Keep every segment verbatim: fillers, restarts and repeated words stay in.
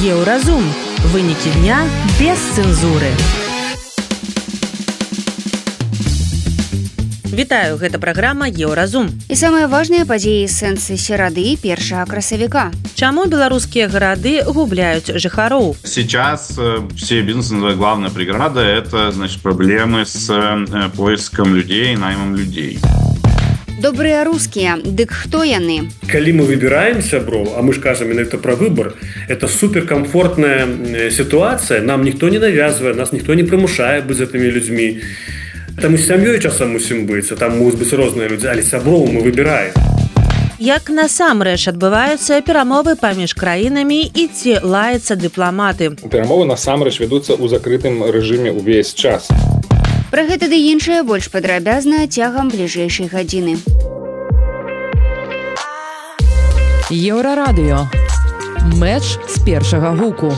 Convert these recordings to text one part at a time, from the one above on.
Еўразум. Вынікі дня без цэнзуры. Вітаю, гэта праграма Еўразум. І самыя важныя падзеі сэнсы серады першага красавіка. Чаму беларускія гарады губляюць жыхароў? Сейчас э, все бизнесы называют главная преграда – это, значит, проблемы с э, поиском людей, наймом людей. Добрыя рускія, дык хто яны? Калі мы выбираем сяброў, а мы ж кажам менавіта пра выбор, это суперкомфортная ситуация, нам ніхто не навязывае, нас ніхто не прымушае быць з гэтымі людзьмі. Там і з сям'ёй часам мусім быць, там могуць быць розныя людзі, але сяброў мы выбіраем. Як насамрэч адбываюцца перамовы паміж краінамі і ці лаяцца дыпламаты? Перамовы насамрэч вядуцца ў закрытым рэжыме ўвесь час. Пра гэта ды іншае больш падрабязна цягам бліжэйшай гадзіны. Еўрарадыё. Мэч з першага гуку.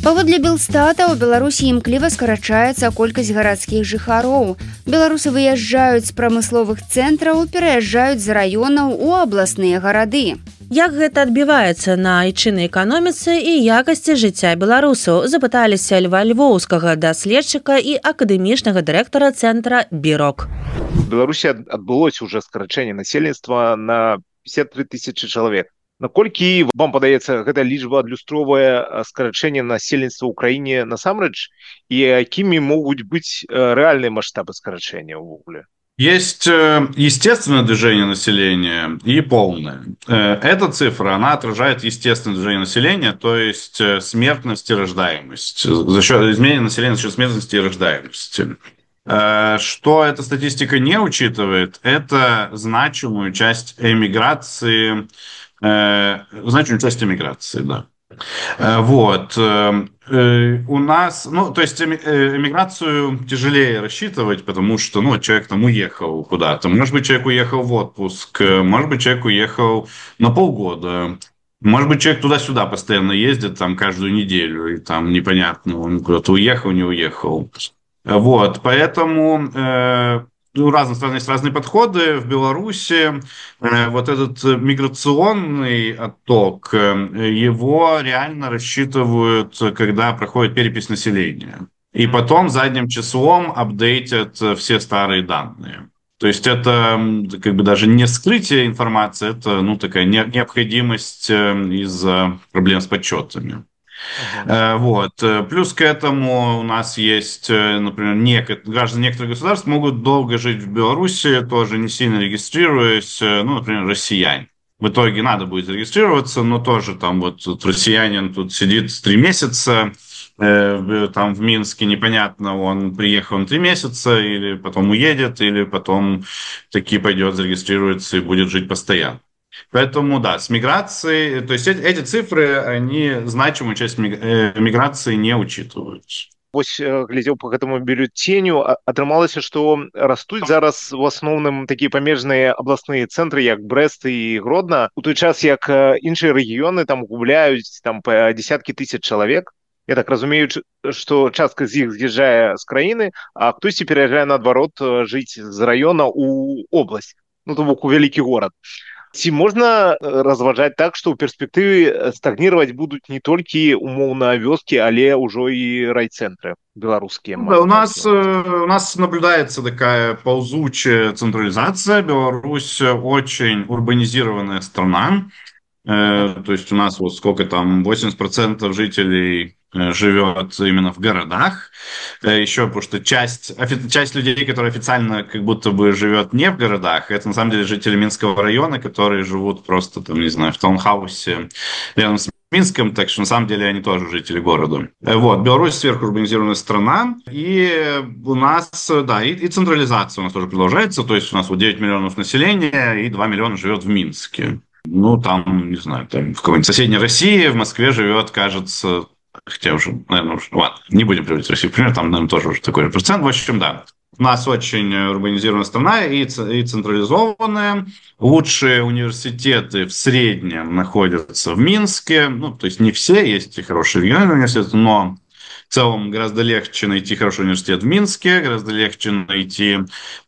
Паводле Белстата, у Беларусі імкліва скарачаецца колькасць гарадскіх жыхароў. Беларусы выязджаюць з прамысловых цэнтраў, пераязджаюць з раёнаў у абласныя гарады. Як гэта адбіваецца на айчыннай эканоміцы і якасці жыцця беларусаў, запыталіся Льва Львоўскага, даследчыка і акадэмічнага дырэктара цэнтра «Бірок». В Беларусі адбылося уже скарачэнне насельніцтва на пятьдесят три тысячи чалавек. Наколькі вам падаецца, гэта лічба адлюстроўвае скарачэнне насельніцтва ў краіне насамрэч, і якімі могуць быць рэальныя маштабы скарачэння ўвогуле? Есть естественное движение населения и полное. Эта цифра, она отражает естественное движение населения, то есть смертность и рождаемость. За счет изменения населения за счет смертности и рождаемости. Что эта статистика не учитывает, это значимую часть эмиграции, значимую часть эмиграции, да. Вот. У нас, ну, то есть эмиграцию тяжелее рассчитывать, потому что, ну, человек там уехал куда-то. Может быть, человек уехал в отпуск, может быть, человек уехал на полгода. Может быть, человек туда-сюда постоянно ездит, там, каждую неделю, и там непонятно, он куда-то уехал, не уехал. Вот, поэтому... У разных стран есть разные подходы. В Беларуси э, вот этот миграционный отток, э, его реально рассчитывают, когда проходит перепись населения. И потом задним числом апдейтят все старые данные. То есть это как бы даже не скрытие информации, это ну, такая необходимость из-за проблем с подсчетами. Uh-huh. Вот. Плюс к этому у нас есть, например, нек- граждане некоторых государств могут долго жить в Беларуси, тоже не сильно регистрируясь, ну, например, россияне. В итоге надо будет зарегистрироваться, но тоже там вот россиянин тут сидит три месяца, э, там в Минске непонятно, он приехал на три месяца, или потом уедет, или потом таки пойдет, зарегистрируется и будет жить постоянно. Поэтому, да, с миграцией, то есть эти, эти цифры, они значимую часть миграции не учитывают. Вось, глядзеў по гэтаму бюллетеню, атрымалася, што растуць зараз в асноўным такія памежныя абласныя цэнтры, як Брэст і Гродна, у той час, як іншыя рэгіёны там губляюць там, па десяткі тысяч чалавек. Я так разумею, што частка з іх з'язджае з краіны, а хтосьці пераязджае, наадварот, жыць з раёна ў обласць, ну, то бок у вялікі горад. Ці можна разважаць так, што ў перспектыве стагніраваць будуць не толькі умоўна вёскі, але ўжо і райцэнтры беларускія? Да, у нас, у нас наблюдается такая ползучая централизация. Беларусь очень урбанизированная страна. То есть у нас вот сколько там, восемьдесят процентов жителей живет именно в городах. Еще потому что часть, часть людей, которые официально как будто бы живет не в городах, это на самом деле жители Минского района, которые живут просто там, не знаю, в таунхаусе рядом с Минском, так что на самом деле они тоже жители города. Вот, Беларусь сверхурбанизированная страна, и у нас, да, и, и централизация у нас тоже продолжается, то есть у нас вот девять миллионов населения, и два миллиона живет в Минске. Ну, там, не знаю, там в какой-нибудь соседней России, в Москве живет, кажется, хотя уже, наверное, уже, ладно, не будем приводить Россию в пример, там, наверное, тоже уже такой же процент. В общем, да, у нас очень урбанизированная страна и, и централизованная. Лучшие университеты в среднем находятся в Минске. Ну, то есть не все, есть и хорошие региональные университеты, но в целом гораздо легче найти хороший университет в Минске, гораздо легче найти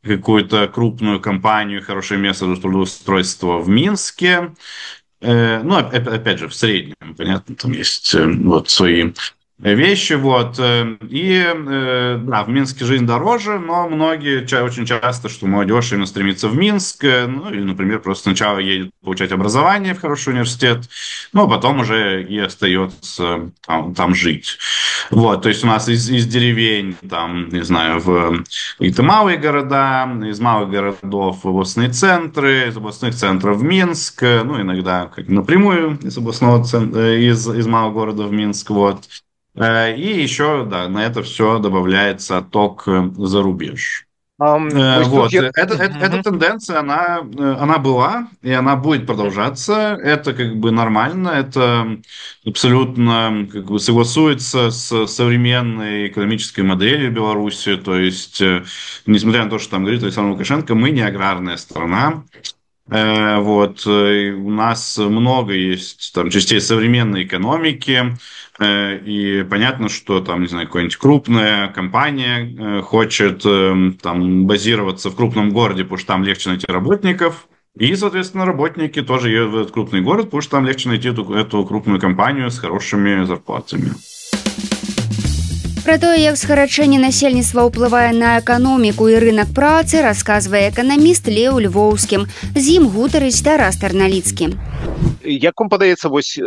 какую-то крупную компанию, хорошее место для трудоустройства в Минске. Ну, опять же, в среднем, понятно, там есть вот свои вещи, вот, и, да, в Минске жизнь дороже, но многие, очень часто, что молодежь именно стремится в Минск, ну, или, например, просто сначала едет получать образование в хороший университет, ну, а потом уже и остается там, там жить. Вот, то есть у нас из, из деревень, там, не знаю, в какие-то малые города, из малых городов в областные центры, из областных центров в Минск, ну, иногда как напрямую из областного центра, из, из малого города в Минск, вот. И еще, да, на это все добавляется отток за рубеж. Um, вот. Я... Это, это, uh-huh. Эта тенденция, она, она была, и она будет продолжаться. Это как бы нормально, это абсолютно как бы согласуется с современной экономической моделью Беларуси. То есть, несмотря на то, что там говорит Александр Лукашенко, мы не аграрная страна. Вот. У нас много есть там частей современной экономики, и понятно, что там, не знаю, какая-нибудь крупная компания хочет там базироваться в крупном городе, потому что там легче найти работников, и, соответственно, работники тоже едут в этот крупный город, потому что там легче найти эту, эту крупную компанию с хорошими зарплатами. Пра тое, як скарачэнне насельніцтва ўплывае на эканоміку і рынок працы, расказвае эканаміст Леў Львоўскім. З ім гутарыць Тарас Тарналіцкі. Як вам падаецца, вось э,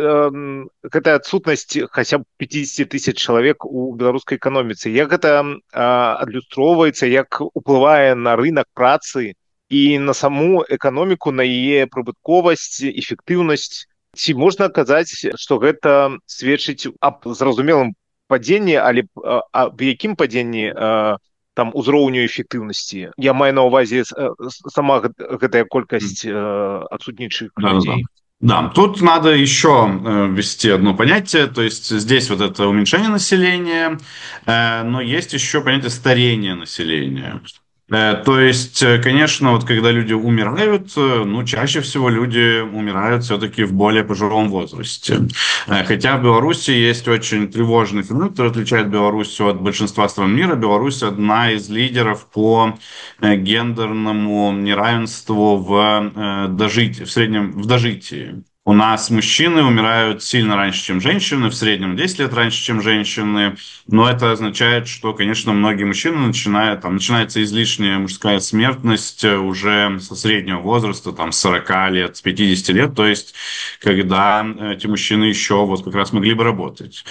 гэтая адсутнасць хаця б пятьдесят тысяч чалавек у беларускай эканоміцы, як гэта э, адлюстроўваецца, як уплывае на рынок працы і на саму эканоміку, на яе прыбытковасць, эфектыўнасць? Ці можна казаць, што гэта сведчыць аб зразумелым падзенні, але а, в якім падзенні а, там узроўню эфектыўнасці? Я маю на ўвазе сама гэтая колькасць а, адсутнічых людей. Да, да, тут надо еще ввести одно понятие, то есть здесь вот это уменьшение населения, но есть еще понятие старения населения. То есть, конечно, вот когда люди умирают, ну, чаще всего люди умирают все-таки в более пожилом возрасте. Хотя в Беларуси есть очень тревожный феномен, который отличает Беларусь от большинства стран мира. Беларусь одна из лидеров по гендерному неравенству в дожитии, в среднем в дожитии. У нас мужчины умирают сильно раньше, чем женщины, в среднем десять лет раньше, чем женщины. Но это означает, что, конечно, многие мужчины начинают, там, начинается излишняя мужская смертность уже со среднего возраста, там, с сорока лет, с пятидесяти лет, то есть, когда эти мужчины еще вот как раз могли бы работать.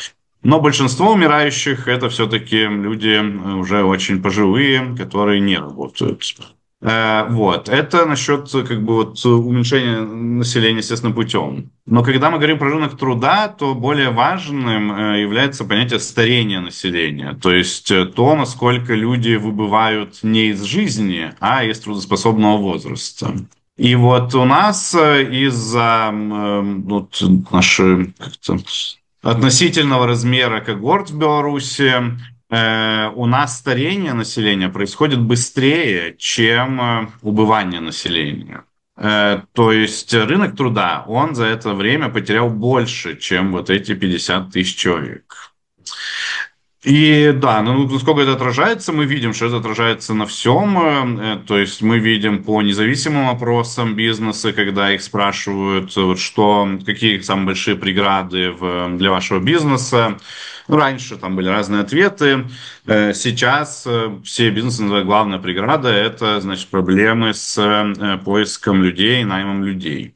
Но большинство умирающих – это все-таки люди уже очень пожилые, которые не работают. Вот. Это насчет как бы, вот, уменьшения населения естественным путем. Но когда мы говорим про рынок труда, то более важным является понятие старения населения. То есть то, насколько люди выбывают не из жизни, а из трудоспособного возраста. И вот у нас из-за вот, нашей как-то, относительного размера когорт в Беларуси у нас старение населения происходит быстрее, чем убывание населения. То есть рынок труда, он за это время потерял больше, чем вот эти пятьдесят тысяч человек. И да, ну, насколько это отражается, мы видим, что это отражается на всем. То есть мы видим по независимым опросам бизнеса, когда их спрашивают, вот что, какие самые большие преграды в, для вашего бизнеса. Раньше там были разные ответы. Сейчас все бизнесы называют главная преграда – это, значит, проблемы с поиском людей, наймом людей.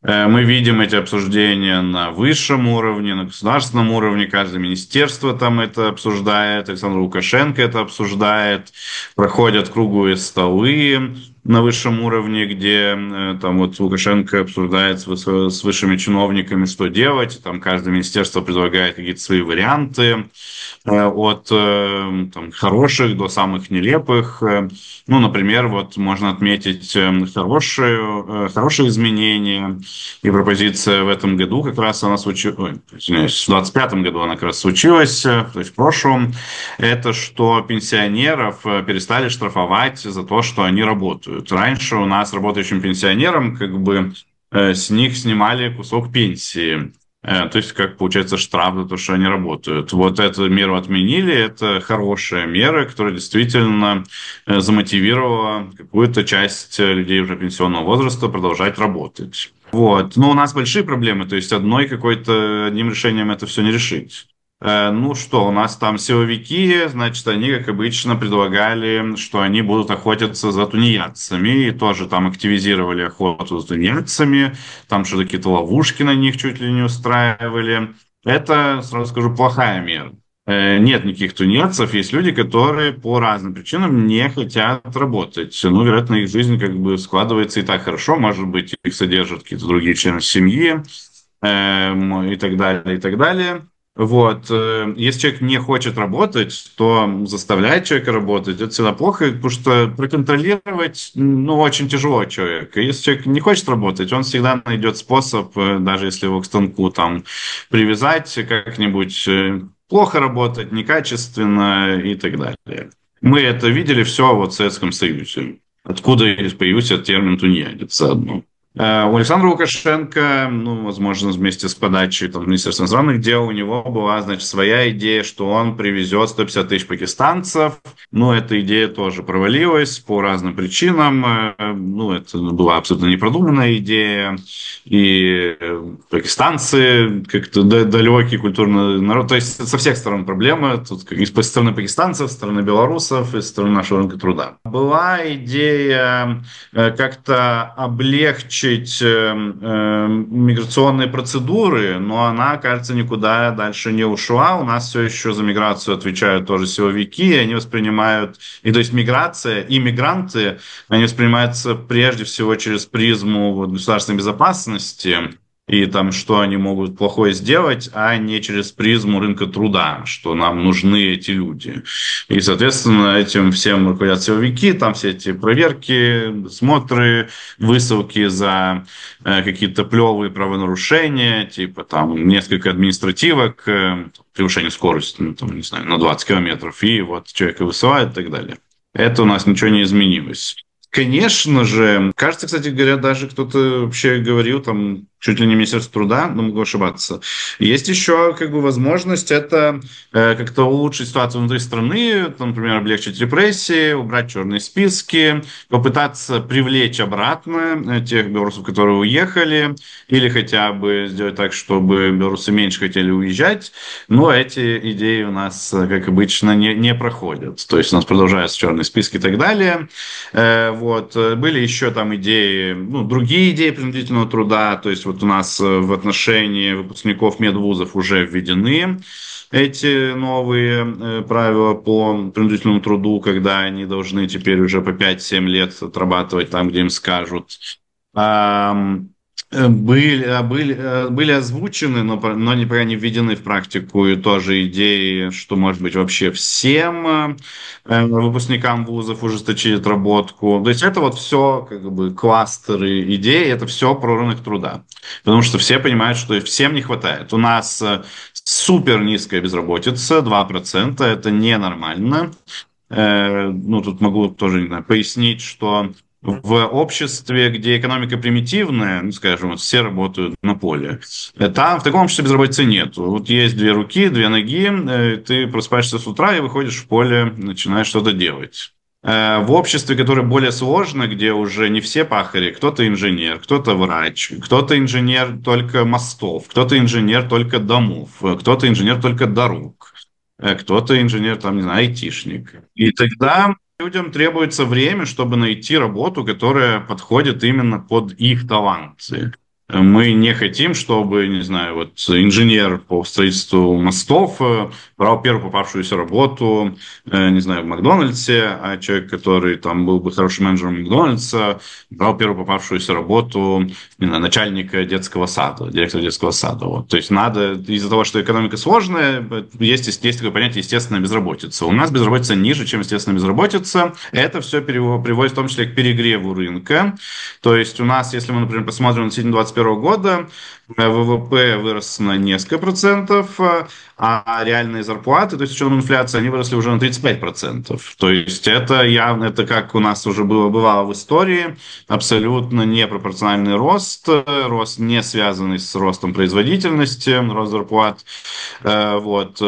Мы видим эти обсуждения на высшем уровне, на государственном уровне. Каждое министерство там это обсуждает, Александр Лукашенко это обсуждает. Проходят круглые столы на высшем уровне, где там вот Лукашенко обсуждает с, с высшими чиновниками, что делать. Там каждое министерство предлагает какие-то свои варианты. От там, хороших до самых нелепых. Ну, например, вот можно отметить хорошие, хорошие изменения. И пропозиция в этом году как раз она случилась, ой, извиняюсь, в двадцать пятом году она как раз случилась, то есть в прошлом, это что пенсионеров перестали штрафовать за то, что они работают. Раньше у нас работающим пенсионерам как бы с них снимали кусок пенсии. То есть, как получается, штраф за то, что они работают. Вот эту меру отменили. Это хорошая мера, которая действительно замотивировала какую-то часть людей уже пенсионного возраста продолжать работать. Вот. Но у нас большие проблемы. То есть, одной какой-то, одним решением это все не решить. Ну что, у нас там силовики, значит, они, как обычно, предлагали, что они будут охотиться за тунеядцами, и тоже там активизировали охоту за тунеядцами, там что-то какие-то ловушки на них чуть ли не устраивали. Это, сразу скажу, плохая мера. Нет никаких тунеядцев, есть люди, которые по разным причинам не хотят работать. Ну, вероятно, их жизнь как бы складывается и так хорошо, может быть, их содержат какие-то другие члены семьи, и так далее, и так далее. Вот. Если человек не хочет работать, то заставлять человека работать – это всегда плохо, потому что проконтролировать, ну, очень тяжело человека. Если человек не хочет работать, он всегда найдет способ, даже если его к станку там привязать как-нибудь, плохо работать, некачественно и так далее. Мы это видели все вот в Советском Союзе. Откуда появился термин «тунеядец» заодно. У Александра Лукашенко, ну, возможно, вместе с подачей там, Министерства иностранных дел, у него была, значит, своя идея, что он привезет сто пятьдесят тысяч пакистанцев. Но эта идея тоже провалилась по разным причинам. Ну, это была абсолютно непродуманная идея. И пакистанцы как-то далекий культурный народ. То есть со всех сторон проблемы. Тут и со стороны пакистанцев, со стороны белорусов, и со стороны нашего рынка труда. Была идея как-то облегчить миграционные процедуры, но она, кажется, никуда дальше не ушла. У нас все еще за миграцию отвечают тоже силовики, они воспринимают, и то есть миграция и мигранты, они воспринимаются прежде всего через призму вот, государственной безопасности, и там, что они могут плохое сделать, а не через призму рынка труда, что нам нужны эти люди. И, соответственно, этим всем руководят силовики, там все эти проверки, смотры, высылки за э, какие-то плевые правонарушения, типа там несколько административок, э, превышение скорости, ну, там, не знаю, на двадцать километров, и вот человека высылают и так далее. Это у нас ничего не изменилось. Конечно же, кажется, кстати говоря, даже кто-то вообще говорил, там, чуть ли не Министерство труда, но могу ошибаться. Есть еще, как бы, возможность это э, как-то улучшить ситуацию внутри страны, там, например, облегчить репрессии, убрать черные списки, попытаться привлечь обратно тех белорусов, которые уехали, или хотя бы сделать так, чтобы белорусы меньше хотели уезжать. Но эти идеи у нас, как обычно, не, не проходят. То есть у нас продолжаются черные списки и так далее. Э, вот. Были еще там идеи, ну, другие идеи принудительного труда, то есть вот у нас в отношении выпускников медвузов уже введены эти новые правила по принудительному труду, когда они должны теперь уже по пять-семь лет отрабатывать там, где им скажут. Были, были, были озвучены, но, но не, пока не введены в практику и тоже идеи, что, может быть, вообще всем э, выпускникам вузов ужесточить отработку. То есть это вот все как бы кластеры идей, это все про рынок труда. Потому что все понимают, что всем не хватает. У нас супер низкая безработица, два процента, это ненормально. Э, ну, тут могу тоже, не знаю, пояснить, что в обществе, где экономика примитивная, ну, скажем, вот все работают на поле, там в таком обществе безработицы нет. Вот есть две руки, две ноги, ты просыпаешься с утра и выходишь в поле, начинаешь что-то делать. В обществе, которое более сложно, где уже не все пахари, кто-то инженер, кто-то врач, кто-то инженер только мостов, кто-то инженер только домов, кто-то инженер только дорог, кто-то инженер, там, не знаю, айтишник. И тогда людям требуется время, чтобы найти работу, которая подходит именно под их таланты. Мы не хотим, чтобы, не знаю, вот инженер по строительству мостов брал первую попавшуюся работу, не знаю, в Макдональдсе, а человек, который там был бы хорошим менеджером Макдональдса, брал первую попавшуюся работу, не знаю, начальника детского сада, директора детского сада. Вот. То есть надо, из-за того, что экономика сложная, есть, есть такое понятие естественная безработица. У нас безработица ниже, чем естественная безработица. Это все приводит в том числе к перегреву рынка. То есть у нас, если мы, например, посмотрим на двадцать первого года ВВП вырос на несколько процентов, а реальные зарплаты, то есть с учетом инфляции, они выросли уже на тридцать пять процентов. То есть это явно, это как у нас уже было, бывало в истории, абсолютно непропорциональный рост, рост не связанный с ростом производительности, рост зарплат. Вот.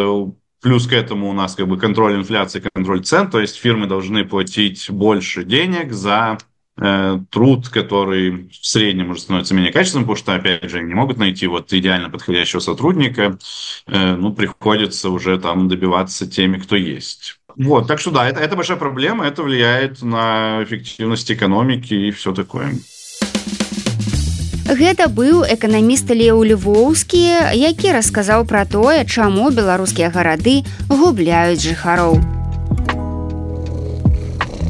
Плюс к этому у нас как бы контроль инфляции, контроль цен, то есть фирмы должны платить больше денег за э, труд, который в среднем уже становится менее качественным, потому что, опять же, они не могут найти вот идеально подходящего сотрудника, э, ну, приходится уже там добиваться теми, кто есть. Вот, так что да, это, это большая проблема, это влияет на эффективность экономики и все такое. Гэта быў эканаміст Леў Львоўскі, які расказаў пра тое, чаму беларускія гарады губляюць жыхароў.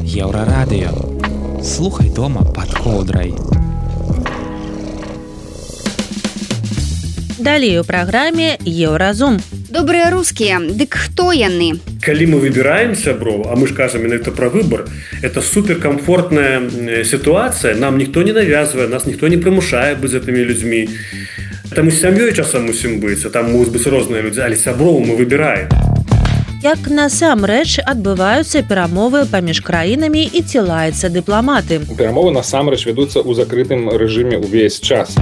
Еўрарадыё. Слухай дома пад коўдрай. Далей у праграме Еўразум. Добрыя рускія, дык хто яны? Калі мы выбираем сяброў, а мы ж кажам менавіта пра выбор, это суперкомфортная ситуация, нам никто не навязывает, нас никто не примушает быть этими людьми. Там і з сям'ёй часам мусім быць, а там могуць быць розныя людзі, але сяброў мы выбираем. Як насамрэч адбываюцца перамовы паміж краінамі і ці лаюцца дыпламаты? Перамовы насамрэч вядуцца ў закрытым рэжыме ўвесь час.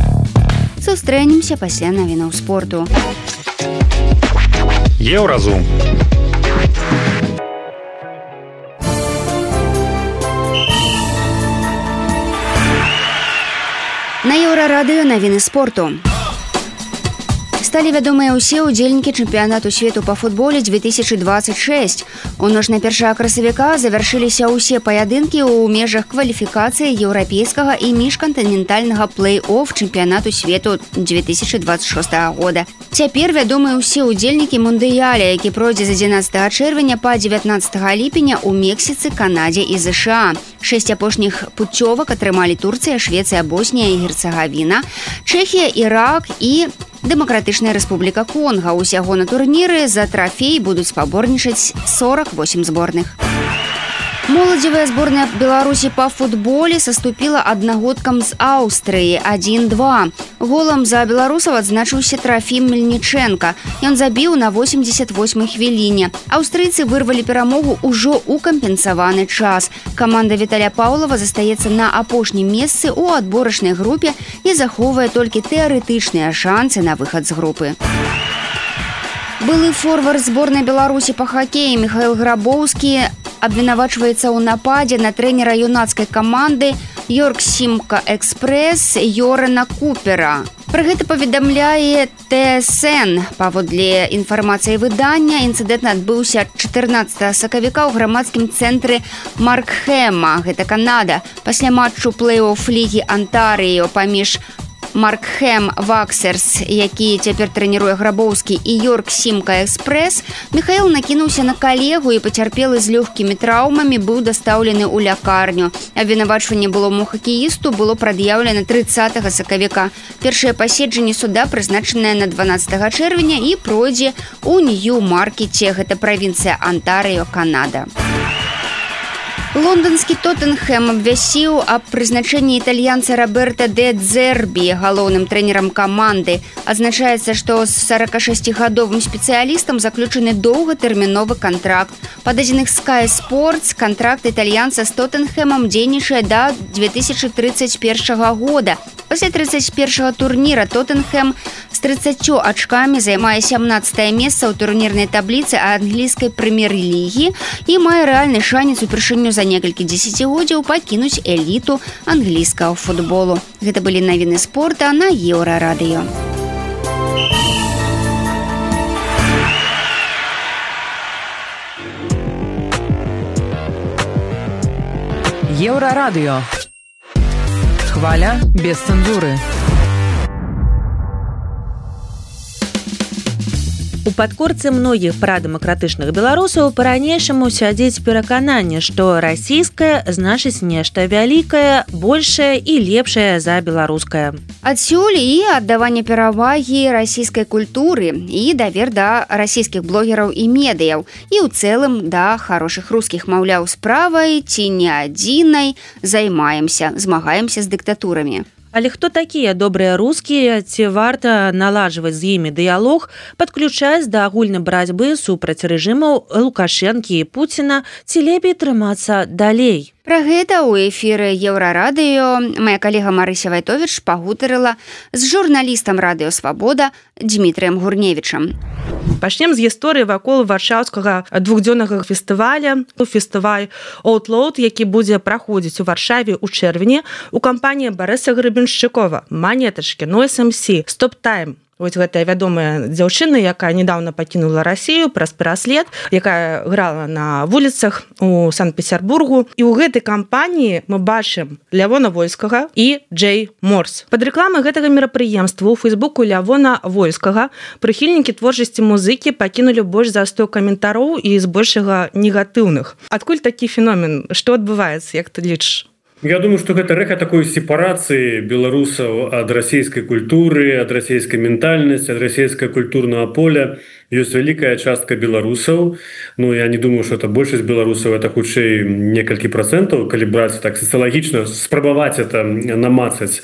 Сустрэнемся пасля навінаў спорту. Еўразум. На Еўрарадыё навіны спорту. Сталі вядомыя ўсе ўдзельнікі чэмпіянату свету па футболе две тысячи двадцать шесть. У ноч на першага красавіка завяршыліся ўсе паядынкі ў межах кваліфікацыі еўрапейскага і міжкантынентальнага плэй-офф чэмпіянату свету две тысячи двадцать шестого года. Цяпер вядомыя ўсе ўдзельнікі мундыяля, які пройдзе з адзінаццатага чэрвеня па дзевятнаццатага ліпеня ў Мексіцы, Канадзе і ЗША. Шэсць апошніх путёвак атрымалі Турцыя, Швецыя, Боснія і Герцагавіна, Чэхія, Ірак і Дэмакратычная Рэспубліка Конга. Усяго на турніры за трафей будуць спаборнічаць сорок восемь зборных. Моладзевая зборная Беларусі па футболе саступіла аднагодкам з Аўстрыі адзін два. Голам за беларусаў адзначыўся Трафім Мельнічэнка. Ён забіў на восемьдесят восьмой хвіліне. Аўстрыйцы вырвалі перамогу ўжо ў кампенсаваны час. Каманда Віталя Паўлава застаецца на апошнім месцы ў адборачнай групе і захоўвае толькі тэарэтычныя шансы на выхад з групы. Былы форвард зборнай Беларусі па хакеі Михаил Грабоўскі абвінавачваецца ў нападзе на трэнера юнацкай каманды Йорк Сімка Экспрэс Йорена Купера. Пра гэта паведамляе Тэ Эс Эн. Паводле інфармацыі выдання, інцыдэнт адбыўся чатырнаццатага сакавіка ў грамадскім цэнтры Маркхэма, гэта Канада. Пасля матчу плэй-офф лігі Антарыё паміж Маркхэм Ваксерс, які цяпер трэніруе Грабоўскі, і Йорк Сімка Экспрэс, Михаил накінуўся на калегу і пацярпелы з лёгкімі траўмамі быў дастаўлены ў лякарню. Абвінавачванне былому хакеісту было прад'яўлена трыццатага сакавіка. Першае паседжанне суда прызначанае на дванаццатага чэрвеня і пройдзе ў Нью-Маркеце, гэта правінцыя Антарыё, Канада. Лондонскі Тоттенхэм абвясціў аб прызначэнні італьянца Роберта Де Дзербі галоўным трэнерам каманды. Адзначаецца, што з сорокашасцігадовым спецыялістам заключаны доўгатэрміновы кантракт. Па дадзеных Sky Sports кантракт італьянца з Тоттенхэмам дзейнічае да две тысячи тридцать первого года. Пасля тридцать первого турніра Тоттенхэм з трыццаццю ачкамі займае сямнаццатае месца ў турнірнай табліцы англійскай прэм'ер-лігі і мае рэальны шанец упершыню за некалькі дзесяцігоддзяў пакінуць эліту англійскага футболу. Гэта былі навіны спорта на Еўрарадыё. Еўрарадыё. Хваля без цэнзуры. У падкорцы многіх прадэмакратычных беларусаў па-ранейшаму сядзіць перакананне, што расійскае значыць нешта вялікае, большае і лепшае за беларускае. Адсюль і аддаванне перавагі расійскай культуры і давер да расійскіх блогераў і медыяў, і ў цэлым да хорошых рускіх, маўляў, справай ці не адзінай займаемся, змагаемся з дыктатурамі. Але хто такія добрыя рускія, ці варта наладжваць з імі дыялог, падключаць да агульнай барацьбы супраць рэжымаў Лукашэнкі і Пуціна, ці лепей трымацца далей? Пра гэта ў эфіры Еўрарадыё мая калега Марыся Вайтовіч пагутарыла з журналістам Радыё Свабода Дмітрыем Гурневічам. Пачнем з гісторыі вакол варшаўскага двухдзённага фестываля, фестываль Outload, які будзе праходзіць у Варшаве ў чэрвені у кампаніі Барыса Гребеншчыкова, Манетачкі, No эс эм сі, Stop Time. Вось гэтая вядомая дзяўчына, якая недавно пакінула Расію праз пераслед, якая грала на вуліцах у Санкт-Петербургу. І ў гэтай кампаніі мы бачым Лявона Вольскага і Джей Морс. Пад рэкламай гэтага мерапрыемства ў фейсбуку Лявона Вольскага прыхільнікі творчасці музыкі пакінулі больш за сто каментароў і збольшага негатыўных. Адкуль такі феномен? Што адбываецца, як ты лічыш? Я думаю, что гэта рэха такой сепарацыі беларусаў ад расійскай культуры, ад расійскай ментальнасці, ад расійскага культурнага поля. Ёсць вялікая частка беларусаў. Ну, я не думаю, что это большасць беларусаў, это хутчэй некалькі процентаў, калі браць так сацыялагічна, спрабаваць это намацаць,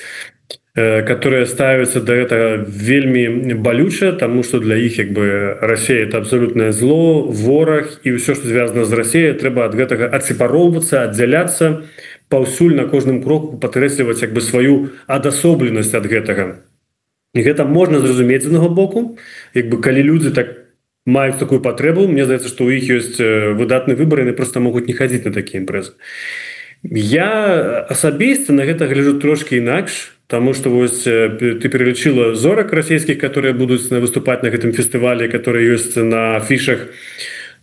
которые ставятся до этого вельмі балюча, тому что для іх як бы Россия это абсолютное зло, вораг, і ўсё, што звязана з Россией, трэба ад гэтага адсепароўвацца, аддзяляцца, паўсюль на кожным кроку падкрэсліваць як бы сваю адасобленасць ад гэтага. І гэта можна зразумець з аднаго боку, як бы калі людзі так маюць такую патрэбу, мне здаецца, што ў іх ёсць выдатны выбар, яны проста могуць не хадзіць на такія імпрэзы. Я асабіста на гэта гляджу трошки інакш, тому что вось ты перелічыла зорак расійскіх, которые будуць выступаць на гэтым фестывале, которые ёсць на афішах.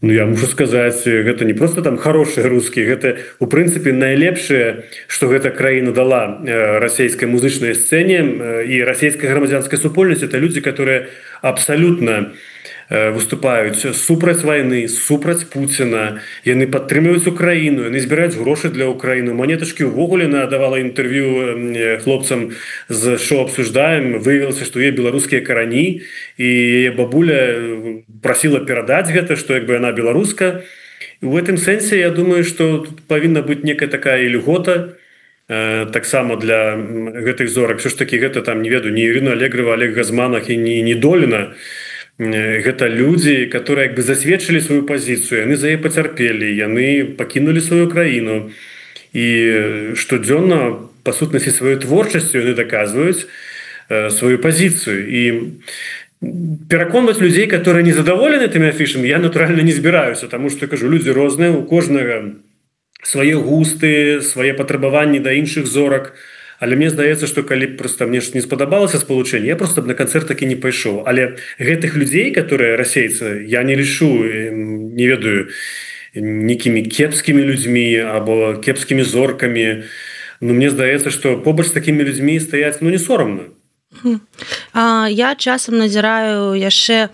Ну, я мушу сказаць, гэта не просто там хорошие рускія, гэта у прынцыпе найлепшае, што гэта краіна дала расійскай музычнай сцэне і расійскай грамадзянскай супольнасці. Это людзі, которые абсалютна выступаюць супраць вайны, супраць Пуціна, яны падтрымліваюць Украіну, яны збіраюць грошы для Украіны. Манетачкі ўвогуле надавала інтэрв'ю хлопцам з «Шоу обсуждаем», выявілася, што є беларускія карані, і яе бабуля прасіла перадаць гэта, што як бы яна беларуска. І ў гэтым сэнсе я думаю, што тут павінна быць некая такая льгота таксама для гэтых зорак. Все ж таки гэта там, не ведаю, не Ірына Алегрова, Олег Газманах і не Доліна. Гэта людзі, которые як бы засведчылі сваю пазіцыю, яны за яе пацярпелі, яны пакінулі сваю краіну. І штодзённа па сутнасці сваёй творчасцю яны даказваюць сваю пазіцыю. І пераконваць людзей, которые не задаволены тымі афішамі, я натуральна не збіраюся, таму што, кажу, людзі розныя, у кожнага свае густы, свае патрабаванні да іншых зорак. Але мне здаецца, што калі проста мне ж не спадабалася спалучэнне, я просто б на канцэрт такі не пайшоў. Але гэтых людзей, которые расейцы, я не лішу, не ведаю, нейкімі кепскімі людзьмі або кепскімі зоркамі. Ну, мне здаецца, што побач з такімі людзьмі стаяць, ну, не сорамна. А, я часам назіраю яшчэ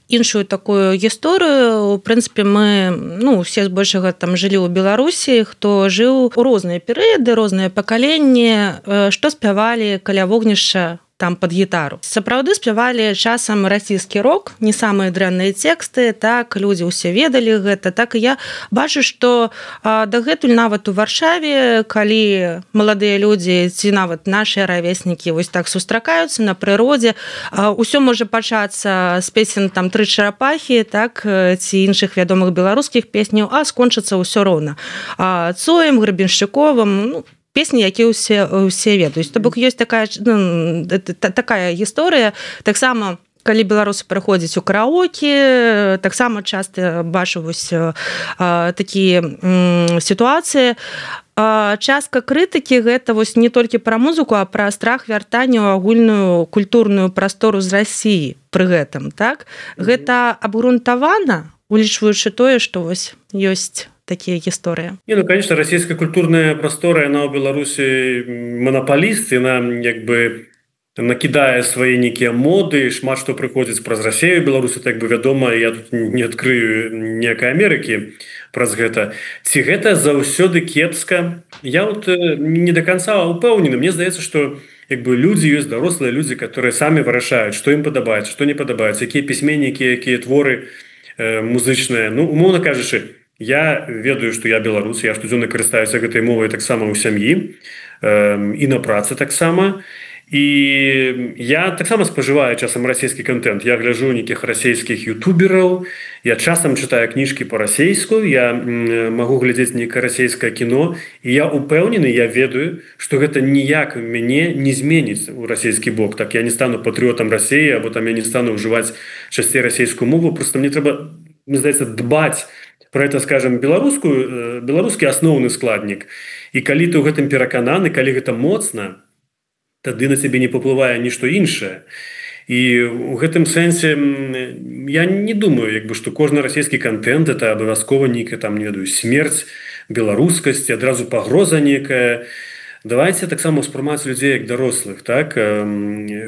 іншую такую гісторыю. У прынцыпе, мы, ну, усе збольшага там жылі ў Беларусі, хто жыў у розныя перыяды, розныя пакаленні, што спявалі каля вогнішча там под гітару. Сапраўды спявалі часам расійскі рок, не самыя дрэнныя тэксты, так, людзі ўсе ведалі гэта, так і я бачу, што дагэтуль нават у Варшаве, калі маладыя людзі ці нават нашыя равеснікі вось так сустракаюцца на прыродзе, усё можа пачацца з песен там «Тры чарапахі», так, ці іншых вядомых беларускіх песняў, а скончыцца ўсё роўна. Цоем, Гребеншчыковым, ну, песні, які ўсе, ўсе ведаюць. То бок ёсць такая, ну, такая гісторыя. Таксама, калі беларусы прыходзяць у караоке, таксама часта бачу вось такія сітуацыі. Частка крытыкі гэта вось не толькі пра музыку, а пра страх вяртання ў агульную культурную прастору з Расіі пры гэтым, так? Гэта абгрунтавана, улічваючы тое, што вось ёсць такие гісторыі. Не, ну, конечно, расійская культурная прастора, яна ў Беларусі монополіст, яна як бы накідае свае нейкія моды, шмат што прыходзіць праз Расію, Беларусі, так бы вядома, я тут не адкрыю ніякай Амерыкі праз гэта. Ці гэта заўсёды кепска? Я вот не до конца упэўнены. Мне здаецца, што як бы людзі ёсць дарослыя людзі, которые самі вырашаюць, што ім падабаецца, што не падабаецца, якія пісьменнікі, якія творы э, музычныя. Ну, умоўна кажучы, Я ведаю, што я беларус, я штодзённа карыстаюся гэтай мовай таксама ў сям'і э, і на працы таксама. І я таксама спажываю часам расійскі контент. Я гляджу нейкіх расійскіх ютубераў, я часам чытаю кніжкі па-расейску, я магу глядзець нейкае расійскае кіно, і я упэўнены, я ведаю, што гэта ніяк мяне не зменіць у расійскі бок. Так я не стану патрыётам Расіі, або там я не стану ўжываць часцей расійскую мову, просто мне трэба, мне здаецца, дбаць про это, скажем, беларускую, беларускі асноўны складнік. І калі ты ў гэтым перакананы, калі гэта моцна, тады на цябе не паплывае нішто іншае. І ў гэтым сэнсе я не думаю, як бы, што кожны расійскі контент это абавязкова нейкая там, не ведаю, смерць беларускасці, адразу пагроза некая. Давайте таксама ўспрымаць людзей як дарослых, так,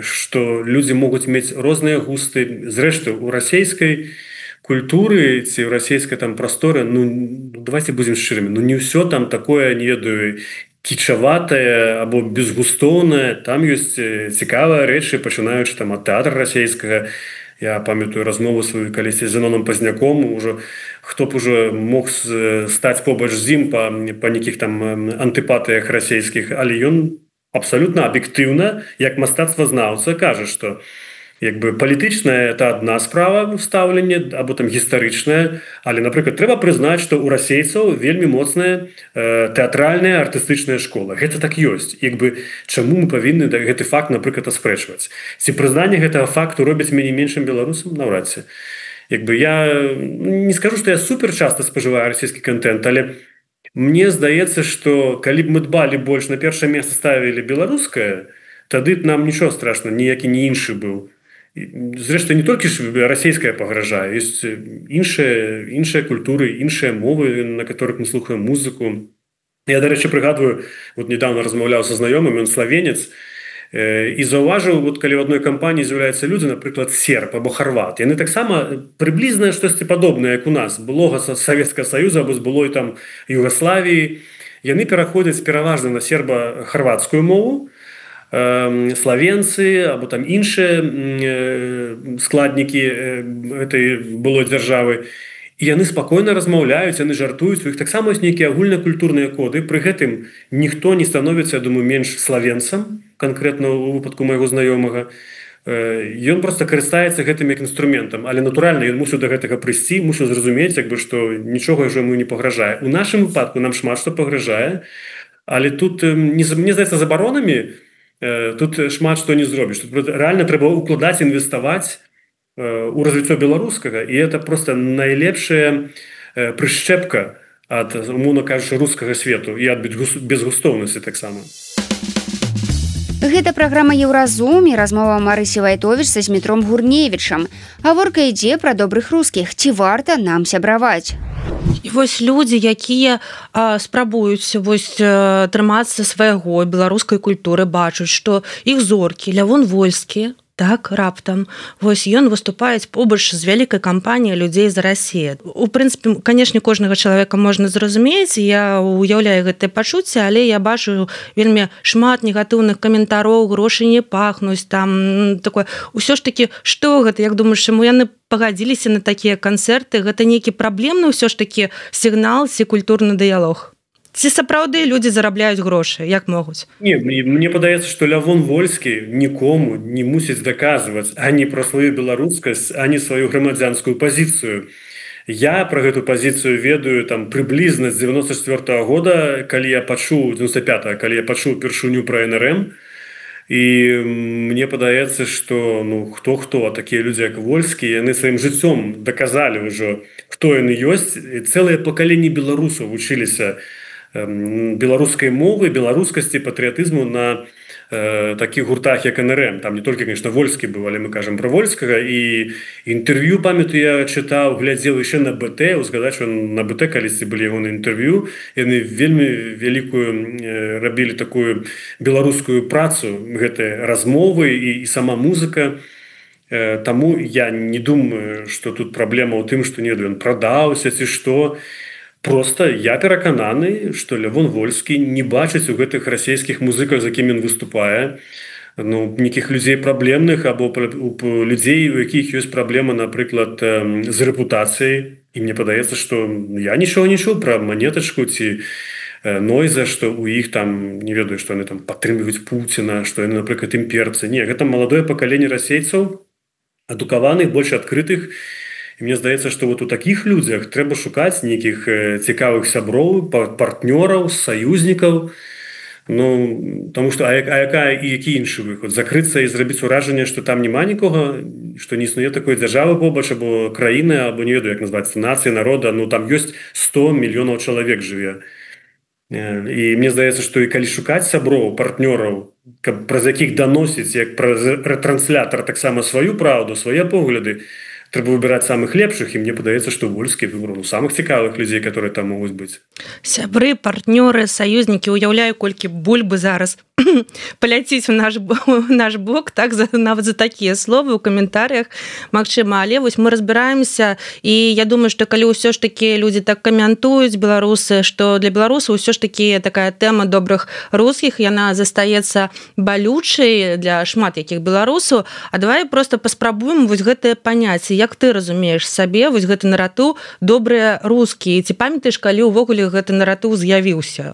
што людзі могуць мець розныя густы. Зрэшты, у расійскай культуры ці ў расійскай там прасторы, ну, давайте будзем шчырымі, ну не ўсё там такое, не ведаю, кічаватае або безгустоўнае. Там ёсць цікавыя рэчы, пачынаючы там ад тэатра расійскага. Я памятаю размову сваю калісьці з Зенонам Пазняком, ужо хто б ужо мог стаць побач з ім па, па нейкіх там антыпатыях расійскіх, але ён абсалютна аб'ектыўна, як мастацтвазнаўца, кажа, што як бы палітычная это адна справа стаўлення, або там гістарычная, але, напрыклад, трэба прызнаць, што ў расейцаў вельмі моцная э, тэатральная артыстычная школа. Гэта так ёсць. Як бы чаму мы павінны гэты факт, напрыклад, аспрэчваць? Ці прызнанне гэтага факту робіць мяне меншым беларусам? Наўрад ці. Як бы я не скажу, што я супер часта спажываю расійскі контент, але мне здаецца, што калі б мы дбалі больш, на першае месца ставілі беларускае, тады б нам нічого страшна, ніякі не іншы быў. Зрэшты, не толькі ж расійская пагражае, ёсць іншыя, іншыя культуры, іншыя мовы, на которых мы слухаем музыку. Я, дарэчы, прыгадваю, вот недавно размаўляў са знаёмым, ён славенец, і заўважыў, вот калі ў адной кампаніі з'яўляюцца людзі, напрыклад, серб або харват, яны таксама прыблізна штосьці падобнае, як у нас, былога Савецкага Саюза або з былой там Югаславіі. Яны пераходзяць пераважна на серба-харватскую мову, славенцы або там іншыя складнікі гэтай былой дзяржавы, і яны спакойна размаўляюць, яны жартуюць, у іх таксама ёсць нейкія агульнакультурныя коды. Пры гэтым ніхто не становіцца, я думаю, менш славенцам, канкрэтна ў выпадку майго знаёмага. Ён проста карыстаецца гэтым як інструментам, але натуральна ён мусіў да гэтага прыйсці, мусіў зразумець, як бы, што нічога ўжо яму не пагражае. У нашым выпадку нам шмат што пагражае, але тут, мне здаецца, забаронамі тут шмат што не зробіш. Тут рэальна трэба укладаць, інвеставаць у развіццё беларускага, і это проста найлепшая прышчэпка ад, умоўна кажучы, рускага свету і ад безгустоўнасці таксама. Гэта праграма «Еўразум» і размова Марысі Вайтовіч са Змітром Гурневічам. Гаворка ідзе пра добрых рускіх. Ці варта нам сябраваць? І вось людзі, якія а, спрабуюць вось а, трымацца свайго беларускай культуры, бачуць, што іх зоркі, Лявон Вольскі, так, раптам, вось ён выступаюць побач з вялікай кампаніяй людзей з Расіі. У прынцыпе, канешне, кожнага чалавека можна зразумець, я уяўляю гэтае пачуцце, але я бачу вельмі шмат негатыўных каментароў, грошы не пахнуць, там такое. Усё ж такі, што гэта, як думаеш, чаму яны пагадзіліся на такія канцэрты? Гэта нейкі праблемны ўсё ж такі сігнал ці культурны дыялог? Ці сапраўды людзі зарабляюць грошы, як могуць? Не, мне падаецца, што Лявон Вольскі нікому не мусіць даказваць ані пра сваю беларускасць, ані сваю грамадзянскую пазіцыю. Я пра гэту пазіцыю ведаю там прыблізна з дзевяносто четвёртага года, калі я пачуў дзевяносто пятага, калі я пачуў першыню пра эн эр эм, і мне падаецца, што ну хто-хто, такія людзі як Вольскі, яны сваім жыццём даказалі ўжо, хто яны ёсць, і цэлае пакаленне беларусаў вучыліся беларускай мовы, беларускасці, патрыятызму на э, такіх гуртах, як эн эр эм. Там не толькі, конечно, Вольскі быў, але мы кажам пра Вольскага. І інтэрв'ю, памятаю, я чытаў, глядзеў яшчэ на бэ тэ, узгадаць, што на бэ тэ калісьці былі яго на інтэрв'ю. Яны вельмі вялікую э, рабілі такую беларускую працу, гэтыя размовы і, і сама музыка. Э, таму я не думаю, што тут праблема ў тым, што не ён прадаўся ці што. Просто я перакананы, што Лявон Вольскі не бачыць у гэтых расійскіх музыках, з якімі ён выступае, ну, нейкіх людзей праблемных або людзей, у якіх ёсць праблема, напрыклад, з рэпутацыяй. І мне падаецца, што я нічога не чуў пра Манетачку ці Нойза, што ў іх там, не ведаю, што яны там падтрымліваюць Пуціна, што яны, напрыклад, імперцы. Не, гэта маладое пакаленне расейцаў, адукаваных, больш адкрытых. І мне здаецца, што вот у такіх людзях трэба шукаць нейкіх цікавых сяброў, партнёраў, саюзнікаў. Ну, таму што, а, а якая і які іншы выход? Закрыцца і зрабіць уражанне, што там няма нікога, што не існуе такой дзяржавы побач, або краіны, або не ведаю, як назваць, нацыі, народа, ну там ёсць сто мільёнаў чалавек жыве. І мне здаецца, што і калі шукаць сяброў, партнёраў, праз якіх даносіць, як праз рэтранслятар таксама сваю праўду, свае погляды, трэба выбіраць самых лепшых, і мне падаецца, што Вольскі выбраў ну, самых цікавых людзей, которые там могуць быць. Сябры, партнёры, саюзнікі, уяўляю, колькі бульбы зараз паляціць у наш, наш бок, так, за, нават за такія словы ў каментарыях, магчыма, але вось мы разбіраемся, і я думаю, што калі ўсё ж такі людзі так каментуюць, беларусы, што для беларусаў ўсё ж такі такая тэма добрых рускіх, яна застаецца балючай для шмат якіх беларусаў, а давай просто паспрабуем вось гэтае паняцце, як ты разумееш сабе вось гэты наратыў добрыя рускія, ці памятаеш, калі ўвогуле гэты наратыў з'явіўся?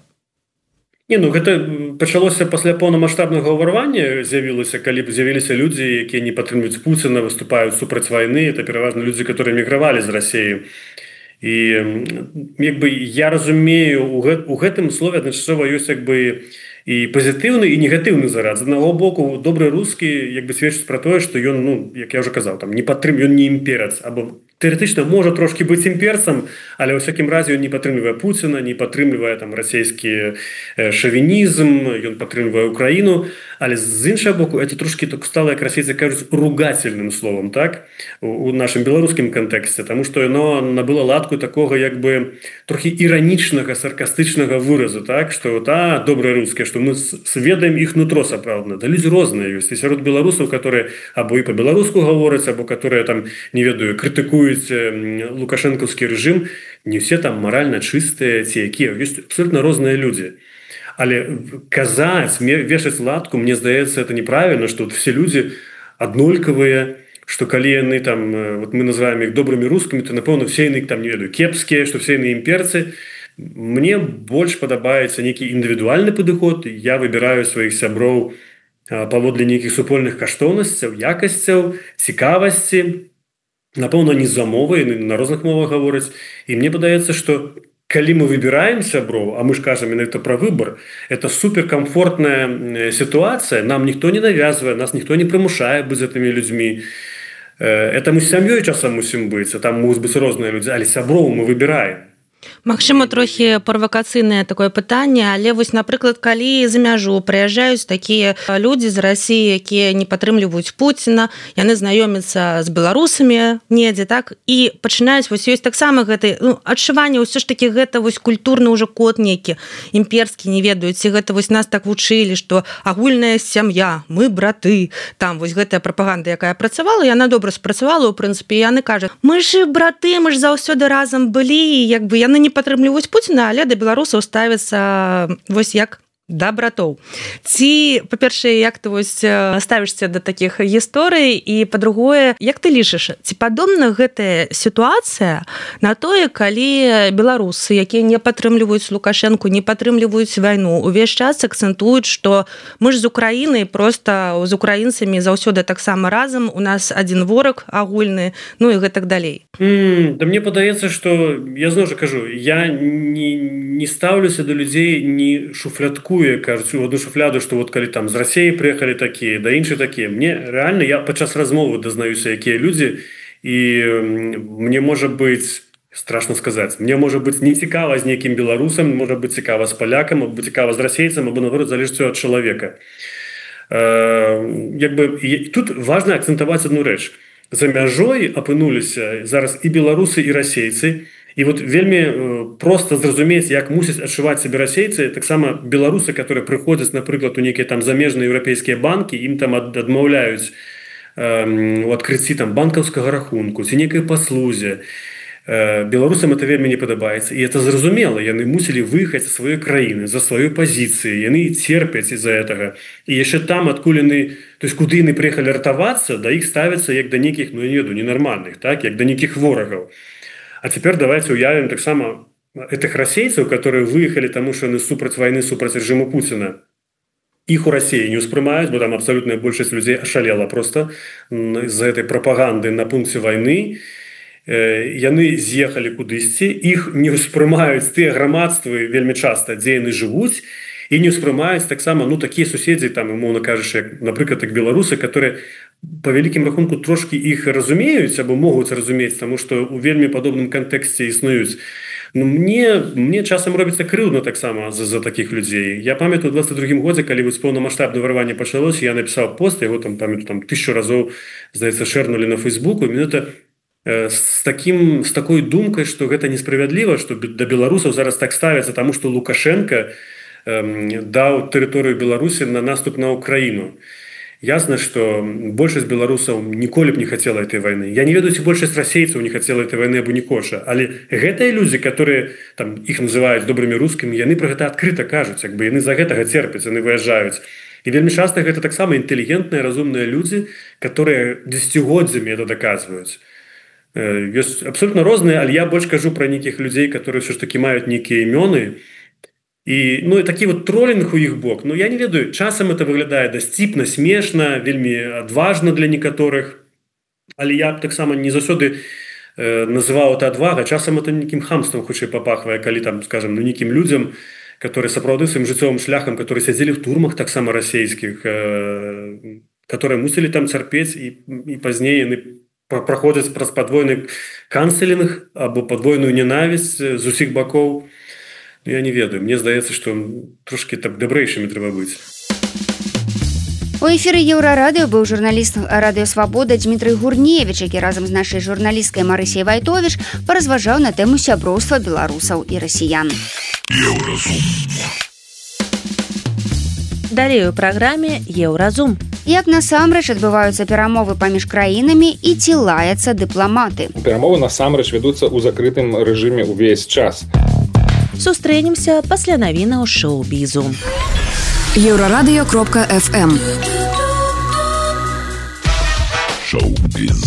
Не, ну гэта пачалося пасля поўнамаштабнага ўварвання, з'явілася, калі з'явіліся людзі, якія не падтрымліваюць Пуціна, выступаюць супраць вайны, это пераважна людзі, которые мігравалі з Расіі. І як бы я разумею, у, гэт, у гэтым слове адначасова ёсць як бы і пазітыўны, і негатыўны зарад. З аднаго боку, добры рускі як бы сведчыць пра тое, што ён, ну, як я ўжо казаў, там не падтрым, ён не імперец, або тэарэтычна можа трошки быць імперцам, але ў всякім разе ён не падтрымлівае Пуціна, не падтрымлівае там расійскі шавінізм, ён падтрымлівае Украіну, але з іншага боку это трошки так стала, як расейцы кажуць, ругательным словом, так, у, у нашым беларускім кантэксце, таму што яно набыло ладку такога як бы трохі іранічнага, саркастычнага выразу, так, што та добрыя рускія, што мы сведаем іх нутро сапраўдна. Да людзі розныя ёсць, і сярод беларусаў, которые або і па-беларуску гавораць, або которые там, не ведаю, крытыкуюць лукашэнкаўскі рэжым, не все там маральна чыстыя ці якія, ёсць абсолютно розныя людзі. Але казаць, вешаць ладку, мне здаецца, это неправільна, што все людзі аднолькавыя, што калі яны там, вот мы называем іх добрымі рускімі, то напэўна все яны там, не ведаю, кепскія, што все яны імперцы. Мне больш падабаецца нейкі індывідуальны падыход, я выбіраю сваіх сяброў паводле нейкіх супольных каштоўнасцяў, якасцяў, цікавасці, напэўна, не з-за мовы, на розных мовах гавораць. І мне падаецца, што калі мы выбіраем сяброў, а мы ж кажам менавіта пра выбар, это суперкамфортная сітуацыя, нам ніхто не навязвае, нас ніхто не прымушае быць з гэтымі людзьмі. Это мы з сям'ёй часам мусім быць, а там могуць быць розныя людзі, але сяброў мы выбіраем. Магчыма, трохі правакацыйнае такое пытанне, але вось, напрыклад, калі за мяжу прыязджаюць такія людзі з Расіі, якія не падтрымліваюць Пуціна, яны знаёмяцца з беларусамі недзе, так, і пачынаюць вось ёсць таксама гэты, ну, адчуванне, ўсё ж такі гэта вось культурны ўжо код нейкі, імперскі, не ведаюць, ці гэта вось нас так вучылі, што агульная сям'я, мы браты, там вось гэтая прапаганда, якая працавала, яна добра спрацавала, у прынцыпе, яны кажуць, мы ж браты, мы ж заўсёды разам былі, як бы яны не падтрымліваюць Пуціна, але да беларусаў ставіцца вось як да братоў. Ці, па-першае, як ты вось ставішся да такіх гісторый, і, па-другое, як ты лічыш, ці падобна гэтая сітуацыя на тое, калі беларусы, якія не падтрымліваюць Лукашэнку, не падтрымліваюць вайну, увесь час акцэнтуюць, што мы ж з Украінай, проста з украінцамі заўсёды таксама разам, у нас адзін вораг агульны, ну і гэтак далей. Mm, да мне падаецца, што, я зноў жа кажу, я не, не стаўлюся да людзей, не шуфлятку, кажуць, у одну шуфляду, што вот калі там з Расіі прыехалі такія, да іншыя такія. Мне рэальна, я падчас размовы дазнаюся, якія людзі, і мне можа быць, страшно сказаць, мне можа быць не цікава з нейкім беларусам, можа быць цікава з палякам, або цікава з расейцам, або, наоборот, залежыць ад чалавека. Як бы, тут важна акцэнтаваць адну рэч. За мяжой апынуліся зараз і беларусы, і расейцы, і вот вельмі проста зразумець, як мусяць адчуваць сябе расейцы, таксама беларусы, которые прыходзяць, напрыклад, у нейкія там замежныя еўрапейскія банкі, ім там адмаўляюць у адкрыцці там банкаўскага рахунку ці нейкай паслузе. Беларусам это вельмі не падабаецца, і это зразумела, яны мусілі выехаць з сваёй краіны за сваёй пазіцыі, яны церпяць из-за гэтага. І яшчэ там, адкуль яны, то есть куды яны прыехалі ратавацца, да іх ставяцца як да нейкіх, ну я не ведаю, ненармальных, так, як да нейкіх ворагаў. А цяпер давайте уявім таксама этих расейцаў, которые выехалі таму, што яны супраць вайны, супраць рэжыму Пуціна. Іх у России не успрымаюць, бо там абсалютная большасць людзей ашалела просто з-за этой прапаганды на пункце вайны. Яны з'ехалі кудысьці, іх не ўспрымаюць тыя грамадствы вельмі часта, дзе яны жывуць, і не ўспрымаюць таксама, ну, такія суседзі, там, умоўна кажучы, як, напрыклад, як беларусы, которые по вялікім рахунку трошки іх разумеюць або могуць разумець, таму што ў вельмі падобным кантэксце існуюць. Ну, мне, мне часам робіцца крыўдна таксама за, за такіх людзей. Я памятаю, у двадцать другім годзе, калі вось поўнамаштабнае варванне пачалося, я напісаў пост, яго там, памятаю, там тысячу разоў, здаецца, шэрнулі на Фейсбуку, і менавіта э, з, таким, з такой думкай, што гэта несправядліва, што да беларусаў зараз так ставяцца, таму што Лукашенко э, даў тэрыторыю Беларусі на наступ на Украіну. Ясно, что большасць беларусаў ніколі б не хацела этой войны. Я не ведаю, ці большасць расейцаў не хацела этой войны або не коша, але гэтыя людзі, которые там іх называюць добрымі рускімі, яны пра гэта адкрыта кажуць, як бы яны за гэтага церпяць, яны выязджаюць. І вельмі часта гэта таксама інтэлігентныя, разумныя людзі, которые дзесяцігоддзямі это даказваюць. Ёсць абсолютно розныя, але я больш кажу пра нейкіх людзей, которые ўсё ж такі маюць нейкія імёны. І, ну, і такі вот тролінг у іх бок, ну, я не ведаю, часам это выглядае дасціпна, смешна, вельмі адважна для некаторых, але я таксама не заўсёды э, называў это адвага, часам это нейкім хамствам хутчэй папахвае, калі там, скажем, ну, нейкім людзям, которые сапраўды сваім жыццёвым шляхам, которые сядзелі в турмах таксама расійскіх, э, которые мусілі там цярпець, і, і пазней яны праходзяць праз падвойны канцелінг або падвойную ненавісць з усіх бакоў. Я не ведаю, мне здаецца, што трошки так дабрэйшымі трэба быць. У эфіры Еўрарадыё быў журналіст Радыё Свабода Дмітрый Гурневіч, які разам з нашай журналісткай Марысяй Вайтовіч паразважаў на тэму сяброўства беларусаў і расіян. Еўразум. Далей у праграме Еўразум. Як насамрэч адбываюцца перамовы паміж краінамі і ці лаяцца дыпламаты? Перамовы насамрэч вядуцца ў закрытым рэжыме ўвесь час. Сустрэнемся пасля навінаў шоу-бізу. Еўрарадыё кропка эф эм. Шоу-біз.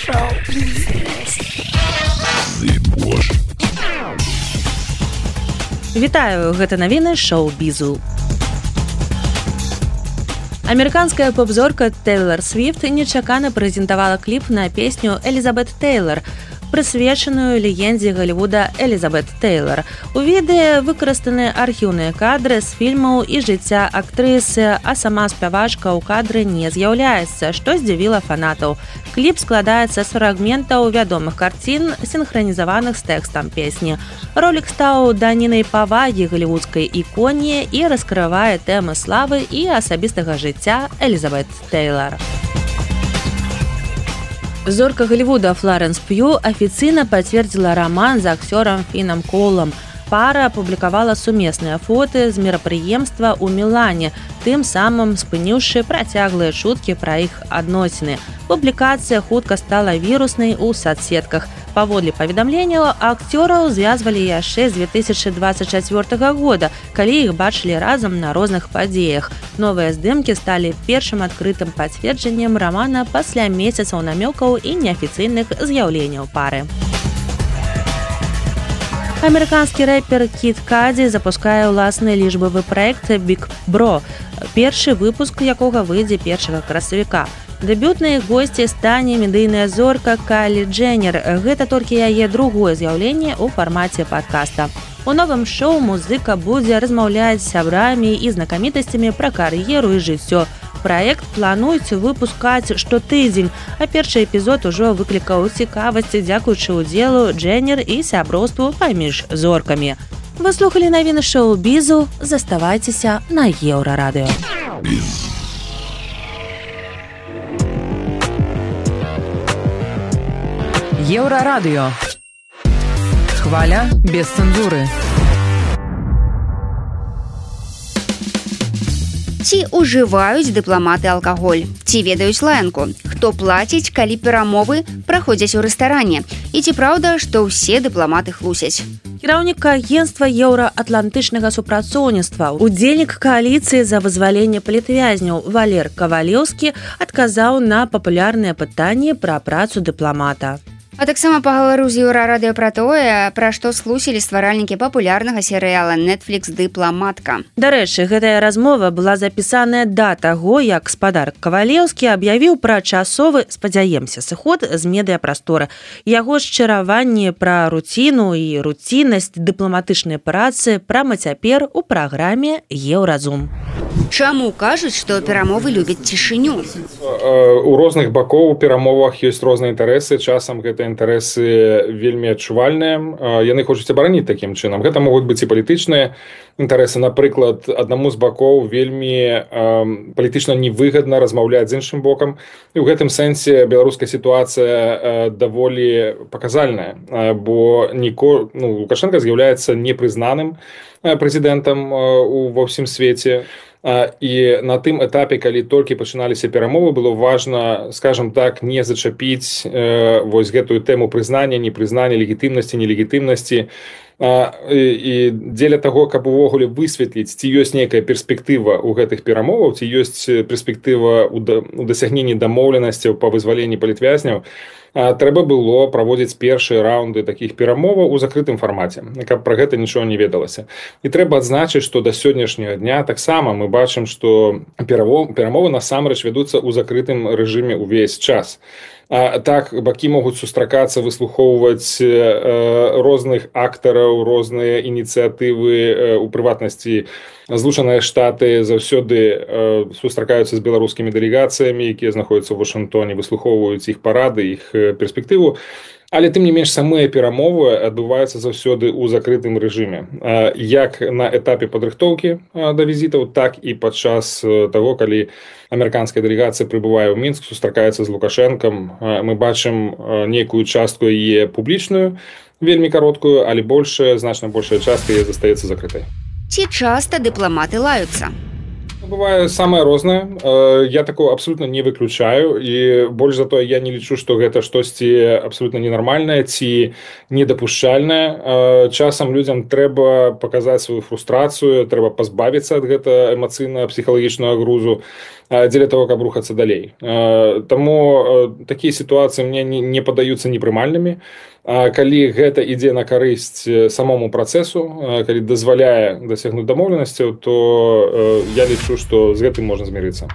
Шоу-біз. Вітаю, гэта навіны шоу-бізу. Амерыканская поп-зорка Тэйлор Свіфт нечакана прэзентавала кліп на песню «Элізабет Тэйлор», прысвечаную легендзе Голлівуда Элізабет Тэйлор. У відэа выкарыстаны архіўныя кадры з фільмаў і жыцця актрысы, а сама спявачка ў кадры не з'яўляецца, што здзівіла фанатаў. Кліп складаецца з фрагментаў вядомых карцін, сінхранізаваных з тэкстам песні. Ролік стаў данінай павагі голлівудскай іконе і раскрывае тэмы славы і асабістага жыцця Элізабет Тэйлор. Зорка Голлівуда Флоренс Пью афіцыйна пацвердзіла раман з акцёрам Фінам Коулам. Пара апублікавала сумесныя фоты з мерапрыемства ў Мілане, тым самым спыніўшы працяглыя чуткі пра іх адносіны. Публікацыя хутка стала віруснай у соцсетках. Паводле паведамленняў, акцёраў звязвалі яшчэ з две тысячы дваццаць чацвёртага года, калі іх бачылі разам на розных падзеях. Новыя здымкі сталі першым адкрытым пацверджаннем рамана пасля месяцаў намёкаў і неафіцыйных з'яўленняў пары. Амерыканскі рэпер Кід Каді запускае ўласны лічбавы праект Big Bro, першы выпуск якога выйдзе першага красавіка. Дэбютнай госцей стане медыйная зорка Кайлі Дженнер. Гэта толькі яе другое з'яўленне ў фармаце падкаста. У новым шоу музыка будзе размаўляць з сябрамі і знакамітасцямі пра кар'еру і жыццё. Праект плануюць выпускаць штотыдзень, а першы эпізод ужо выклікаў цікавасць дзякуючы ўдзелу Дженнер і сяброўству паміж зоркамі. Вы слухалі навіны шоу-бізу, заставайцеся на Еўрарадыё. Еўрарадыё. Хваля без цэнзуры. Ці ўжываюць дыпламаты алкаголь? Ці ведаюць лаянку? Хто плаціць, калі перамовы праходзяць у рэстаране? І ці праўда, што ўсе дыпламаты хлусяць? Кіраўнік агенцтва еўраатлантычнага супрацоўніцтва, удзельнік кааліцыі за вызваленне палітвязняў Валер Кавалеўскі адказаў на папулярныя пытанні пра працу дыпламата. А таксама пагаварыў з Еўрарадыё пра тое, пра што схлусілі стваральнікі папулярнага серыяла Netflix «Дыпламатка». Дарэчы, гэтая размова была запісаная да таго, як спадар Кавалеўскі аб'явіў пра часовы, спадзяемся, сыход з медыяпрасторы. Яго шчыраванні пра руціну і руціннасць дыпламатычнай працы прама цяпер у праграме «Еўразум». Чаму кажуць, што перамовы любяць цішыню? У розных бакоў у перамовах ёсць розныя інтарэсы, часам гэта інтарэсы вельмі адчувальныя. Яны хочуць абараніць такім чынам. Гэта могуць быць і палітычныя інтарэсы. Напрыклад, аднаму з бакоў вельмі э, палітычна невыгадна размаўляць з іншым бокам. І ў гэтым сэнсе беларуская сітуацыя э, даволі паказальная, э, бо Ніко, ну, Лукашенко з'яўляецца непрызнаным э, прэзідэнтам э, ва ўсім свеце. І на тым этапе, калі толькі пачыналіся перамовы, было важна, скажем так, не зачапіць э, вось гэтую тэму прызнання, непрызнання, легітымнасці, нелегітымнасці. А, і, і дзеля таго, каб увогуле высветліць, ці ёсць нейкая перспектыва ў гэтых перамоваў, ці ёсць перспектыва ў, да, ў дасягненні дамоўленасцяў па вызваленні палітвязняў, а, трэба было праводзіць першыя раунды такіх перамоваў у закрытым фармаце, каб пра гэта нічого не ведалася. І трэба адзначыць, што да сённяшняга дня таксама мы бачым, што перамовы насамрэч вядуцца ў закрытым рэжыме ўвесь час. А, так, бакі могуць сустракацца, выслухоўваць э, розных актараў, розныя ініцыятывы, э, у прыватнасці Злучаныя Штаты заўсёды э, сустракаюцца з беларускімі дэлегацыямі, якія знаходзяцца ў Вашынгтоне, выслухоўваюць іх парады, іх э, перспектыву. Але тым не менш самыя перамовы адбываюцца заўсёды ў закрытым рэжыме. Э, як на этапе падрыхтоўкі э, да візітаў, так і падчас э, таго, калі амерыканская дэлегацыя прыбывае ў Мінск, сустракаецца з Лукашэнкам. Мы бачым нейкую частку яе публічную, вельмі кароткую, але большая, значна большая частка яе застаецца закрытай. Ці часта дыпламаты лаюцца? Бывае самае рознае. Я такого абсолютно не выключаю, і больш за тое, я не лічу, што гэта штосьці абсолютно ненармальнае ці недапушчальнае. Часам людзям трэба паказаць сваю фрустрацыю, трэба пазбавіцца ад гэта эмацыйна-псіхалагічнага грузу дзеля того, каб рухацца далей. Таму такія сітуацыі мне не падаюцца непрымальнымі. Калі гэта ідзе на карысць самому працэсу, калі дазваляе дасягнуць дамоўленасцяў, то я лічу, што з гэтым можна змірыцца.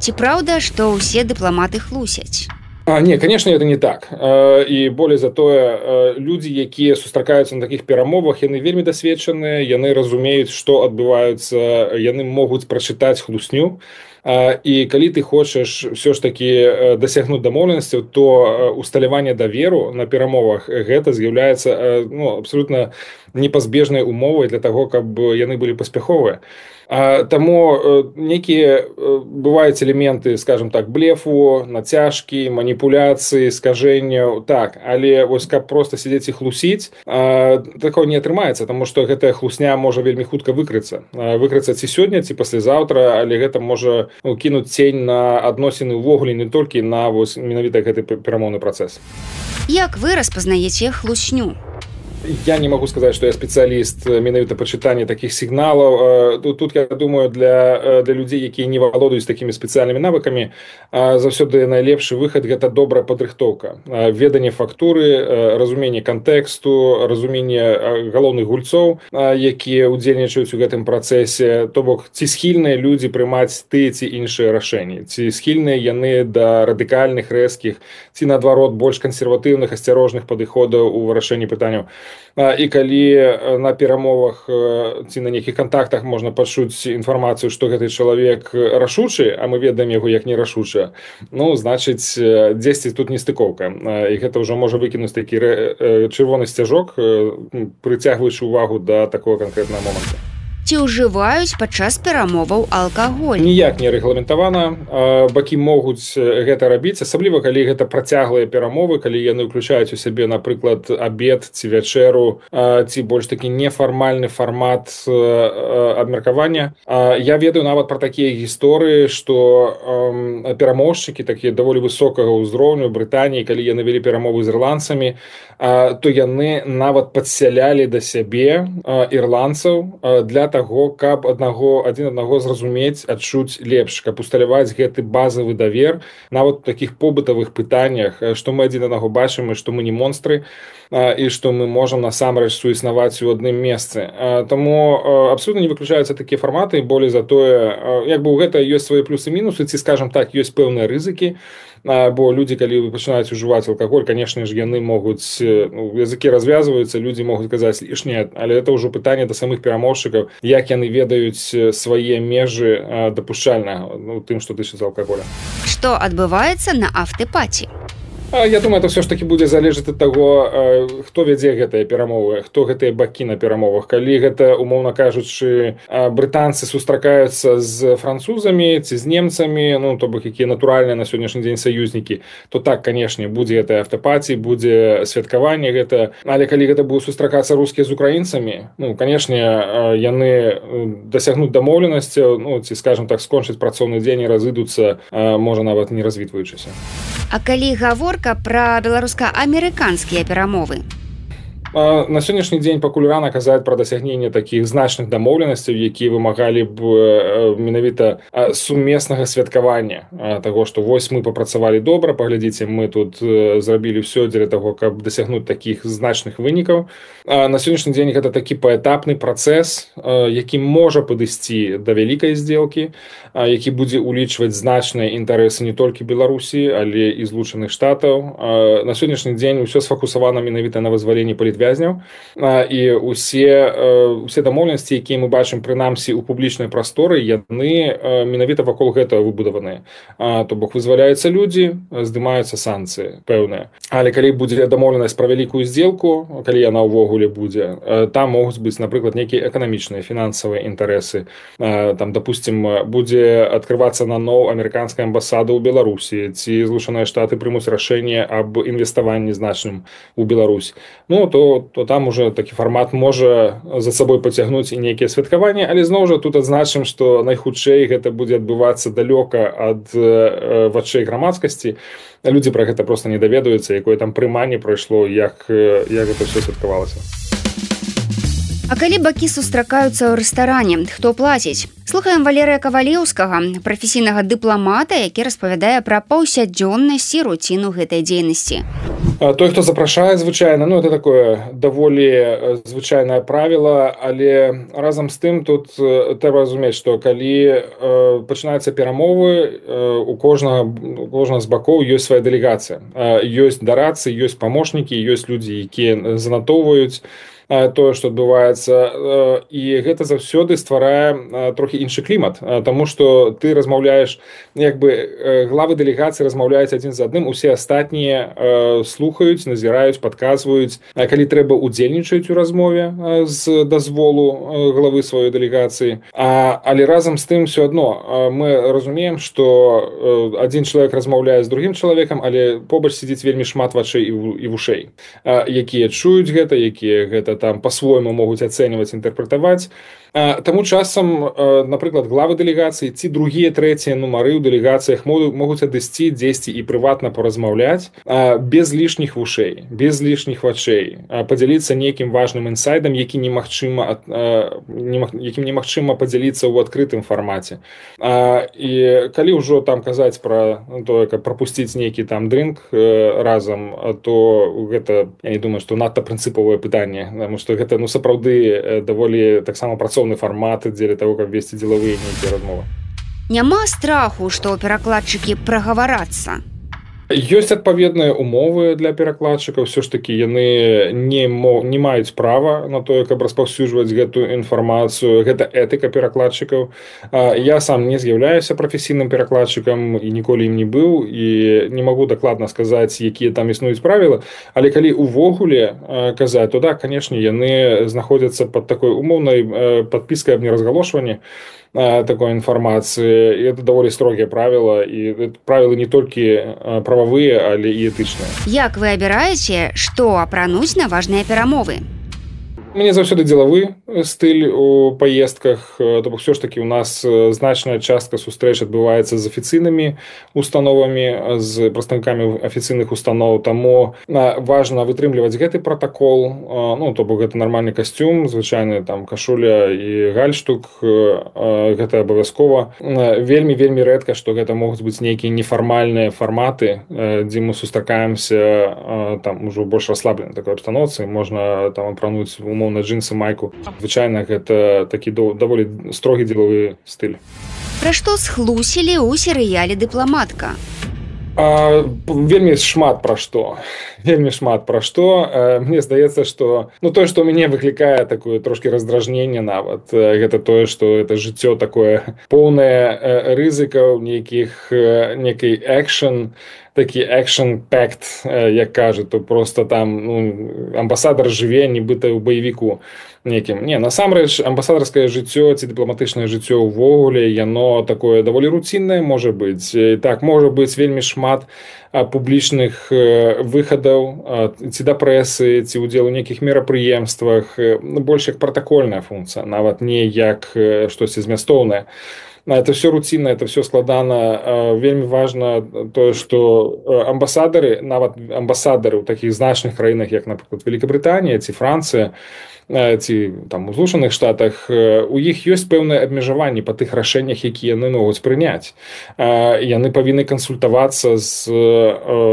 Ці праўда, што ўсе дыпламаты хлусяць? А, не, конечно, это не так. І болей за тое, людзі, якія сустракаюцца на такіх перамовах, яны вельмі дасведчаныя, яны разумеюць, што адбываюцца, яны могуць прачытаць хлусню. І калі ты хочаш все ж таки дасягнуць дамоўленасцяў, то усталяванне даверу на перамовах гэта з'яўляецца ну, абсолютна непазбежнай умовай для таго, каб яны былі паспяховыя. Таму некія бываюць элементы, скажем так, блефу, нацяжкі, маніпуляцыі, скажэнняў, так, але вось каб проста сядзець і хлусіць, такого не атрымаецца, таму што гэтая хлусня можа вельмі хутка выкрыцца. Выкрыцца ці сёння, ці паслязаўтра, але гэта можа ну, кінуць цень на адносіны ўвогуле, не толькі на вось менавіта гэты перамоўны працэс. Як вы распазнаеце хлусню? Я не могу сказать, что я специалист менавіта па чытанні таких сигналов. Тут, тут я думаю, для, для людей, якія не валодаюць такими специальными навыками, заўсёды найлепшы выхад гэта добрая падрыхтоўка. Веданне фактуры, разуменне кантэксту, разуменне галоўных гульцоў, якія удзельнічаюць у гэтым працэсе. То бок, ці схільныя людзі прымаць тыя ці іншыя рашэнні, ці схільныя яны да радыкальных, рэзкіх, ці наадварот больш кансерватыўных, асцярожных падыходаў у вырашэнні пытанняў. І калі на перамовах ці на нейкіх кантактах можна пачуць інфармацыю, што гэты чалавек рашучы, а мы ведаем яго як нерашуча, ну, значыць, дзесьці тут нестыкоўка. І гэта ўжо можа выкінуць такі чырвоны сцяжок, прыцягваючы ўвагу да такого канкрэтнага моманту. ці ўжываюць падчас перамоваў алкаголь. Ніяк не рэгламентавана. Бакі могуць гэта рабіць, асабліва калі гэта працяглыя перамовы, калі яны ўключаюць у сябе, напрыклад, абед ці вячэру, ці больш такі нефармальны фармат абмеркавання. Я ведаю нават пра такія гісторыі, што перамоўшчыкі такія даволі высокага ўзроўню Брытаніі, калі яны вялі перамовы з ірландцамі, то яны нават падсялялі да сябе ірландцаў для таго, каб аднаго адзін аднаго зразумець, адчуць лепш, каб усталяваць гэты базавы давер нават у такіх побытавых пытаннях, што мы адзін аднаго бачым і што мы не монстры і што мы можам насамрэч суіснаваць у адным месцы. Таму абсолютна не выключаюцца такія фарматы, болей за тое, як бы ў гэта ёсць свае плюсы і мінусы, ці, скажам так, ёсць пэўныя рызыкі, бо людзі, калі пачынаюць ужываць алкаголь, канешне ж, яны могуць, ну, языкі развязваюцца, людзі могуць казаць лішняе, але это ўжо пытанне да самых перамоўшчыкаў, як яны ведаюць свае межы дапушчальнага, ну, тым, што тычыцца алкаголя. Што адбываецца на афтэпаці? Я думаю, это все ж таки будзе залежаць ад таго, хто вядзе гэтыя перамовы, хто гэтыя бакі на перамовах. Калі гэта, умоўна кажучы, брытанцы сустракаюцца з французамі ці з немцамі, ну, то бок, якія натуральныя на сённяшні дзень саюзнікі, то так, канешне, будзе гэтая афтэпатія, будзе святкаванне гэта. Але калі гэта будуць сустракацца рускія з украінцамі, ну, канешне, яны дасягнуць дамоўленасцяў, ну, ці, скажем так, скончыць працоўны дзень і разыдуцца, можа, нават не развітваючыся. А калі гаворка пра беларуска-амерыканскія перамовы? На сённяшні дзень пакуль рана казаць пра дасягненне такіх значных дамоўленасцяў, якія вымагалі б менавіта сумеснага святкавання таго, што вось мы папрацавалі добра, паглядзіце, мы тут зрабілі ўсё дзеля таго, каб дасягнуць такіх значных вынікаў. На сённяшні дзень гэта такі паэтапны працэс, які можа падысці да вялікай здзелкі, які будзе ўлічваць значныя інтарэсы не толькі Беларусі, але і Злучаных Штатаў. На сённяшні дзень усё сфокусавана менавіта на вызваленні палітвязняў, і усе, усе дамоўленасці, якія мы бачым прынамсі ў публічнай прасторы, яны менавіта вакол гэтага выбудаваныя. То бок вызваляюцца людзі, здымаюцца санкцыі пэўныя. Але калі будзе дамоўленасць пра вялікую здзелку, калі яна ўвогуле будзе, там могуць быць, напрыклад, нейкія эканамічныя, фінансавыя інтарэсы. Там, допустим, будзе адкрывацца наноў амерыканская амбасада ў Беларусі, ці Злучаныя Штаты прымуць рашэнне аб інвеставанні значным у Беларусь. Ну, то то там уже такі фармат можа за сабой пацягнуць і нейкія святкаванні, але зноў жа тут адзначым, што найхутчэй гэта будзе адбывацца далёка ад вачэй грамадскасці. Людзі пра гэта проста не даведаюцца, якое там прыманне прайшло, як, як гэта ўсё святкавалася. А калі бакі сустракаюцца ў рэстаране, хто плаціць? Слухаем Валерыя Кавалеўскага, прафесійнага дыпламата, які распавядае пра паўсядзённасць і руціну гэтай дзейнасці. Той, хто запрашае, звычайна, ну, это такое даволі звычайнае правіла, але разам з тым тут трэба разумець, што калі э, пачынаюцца перамовы, э, у кожнага, у кожнага з бакоў ёсць свая дэлегацыя. Э, ёсць дарадцы, ёсць памочнікі, ёсць людзі, якія занатоўваюць тое, што адбываецца, і гэта заўсёды стварае трохі іншы клімат, таму што ты размаўляеш, як бы главы дэлегацыі размаўляюць адзін з адным, усе астатнія слухаюць, назіраюць, падказваюць, калі трэба удзельнічаюць у размове з дазволу главы сваёй дэлегацыі. Але разам з тым все адно мы разумеем, што адзін чалавек размаўляе з другім чалавекам, але побач сидзіць вельмі шмат вачэй і вушэй, якія чуюць гэта, якія гэта там по-свойму могуць ацэньваць, інтэрпрэтаваць. Таму часам, напрыклад, главы дэлегацыі ці другія, трэція нумары ў дэлегацыях могуць адысці дзесьці і прыватна паразмаўляць без лішніх вушэй, без лішніх вачэй, падзяліцца нейкім важным інсайдам, які немагчыма, якім немагчыма падзяліцца ў адкрытым фармаце. І калі ўжо там казаць пра тое, каб прапусціць нейкі там дрынк разам, то гэта, я не думаю, што надта прынцыповае пытанне, таму што гэта, ну, сапраўды даволі таксама працоўны фармат дзеля таго, каб весці дзелавыя нейкія размовы. Няма страху, што перакладчыкі прагаварацца? Ёсць адпаведныя умовы для перакладчыкаў, все ж таки яны не, не маюць права на тое, каб распаўсюджваць гэтую інфармацыю, гэта этыка перакладчыкаў. Я сам не з'яўляюся прафесійным перакладчыкам і ніколі ім не быў, і не магу дакладна сказаць, якія там існуюць правілы, але калі увогуле казаць, то да, канешне, яны знаходзяцца пад такой умоўнай падпіскай аб неразгалошванні такой інфармацыі, і это даволі строгія правіла, і правілы не толькі прававыя, але і этычныя. Як вы абіраеце, што апрануць на важныя перамовы? Мне заўсёды дзелавы стыль у паездках, то бок все ж таки у нас значная частка сустрэч адбываецца з афіцыйнымі установамі, з прадстаўнікамі афіцыйных устаноў, таму важна вытрымліваць гэты протакол, ну то бок гэта нармальны касцюм, звычайны там кашуля і гальштук, гэта абавязкова. Вельмі вельмі рэдка, што гэта могуць быць нейкія нефармальныя фарматы, дзе мы сустракаемся там ужо больш расслабленай такой абстаноўцы, можна там апрануць умоўна джинсы, майку. Звычайна гэта такі даволі строгі дзелавы стыль. Пра што схлусілі ў серыяле «Дыпламатка»? А, вельмі шмат пра што. Вельмі шмат пра што. Мне здаецца, што ну тое, што ў мяне выклікае такое трошкі раздражненне нават, гэта тое, што это жыццё такое поўнае рызыкаў, нейкіх некай экшн, такі экшн-пэкт, як кажуць, то просто там ну, амбасадар жыве нібыта ў баевіку некім. Не, насамрэч, амбасадарскае жыццё ці дыпламатычнае жыццё ўвогуле, яно такое даволі руціннае можа быць. Так, можа быць вельмі шмат публічных выхадаў, ці да прэсы, ці ўдзел у нейкіх мерапрыемствах, больш як пратакольная функцыя, нават не як штосьці змястоўнае. Это все рутинно, это все складана. Вельмі важна тое, што амбасадары, нават амбасадары ў такіх значных краінах, як, напрыклад, Великабрытанія ці Францыя, ці там у Злучаных Штатах, у іх ёсць пэўныя абмежаванні па тых рашэннях, якія яны могуць прыняць. Яны павінны кансультавацца з,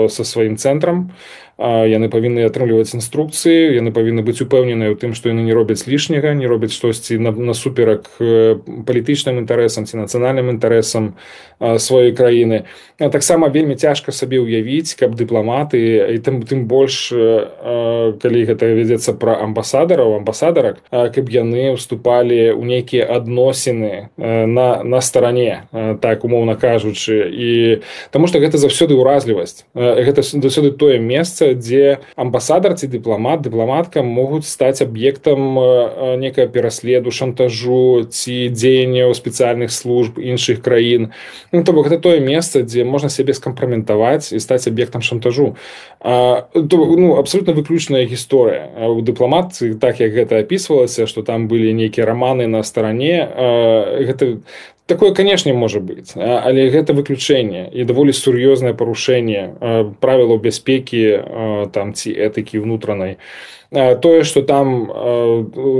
са сваім цэнтрам, яны павінны атрымліваць інструкцыі, яны павінны быць упэўненыя ў тым, што яны не робяць лішняга, не робяць штосьці насуперак палітычным інтарэсам ці нацыянальным інтарэсам сваёй краіны. Таксама вельмі цяжка сабе ўявіць, каб дыпламаты, і тым, тым больш, калі гэта вядзецца пра амбасадараў, амбасадарак, каб яны ўступалі ў нейкія адносіны на, на старане, так умоўна кажучы. І таму што гэта заўсёды ўразлівасць. Гэта заўсёды тое месца, дзе амбасадар ці дыпламат, дыпламатка могуць стаць аб'ектам некага пераследу, шантажу ці дзеянняў спецыяльных служб іншых краін. Ну, то бок, гэта тое месца, дзе можна сябе скампраметаваць і стаць аб'ектам шантажу. А, то, ну, абсолютна выключная гісторыя. У дыпламатцы, так як гэта апісвалася, што там былі нейкія раманы на старане, а, гэта такое, канешне, можа быць, але гэта выключэнне і даволі сур'ёзнае парушэнне правілаў бяспекі там ці этыкі ўнутранай. Тое, што там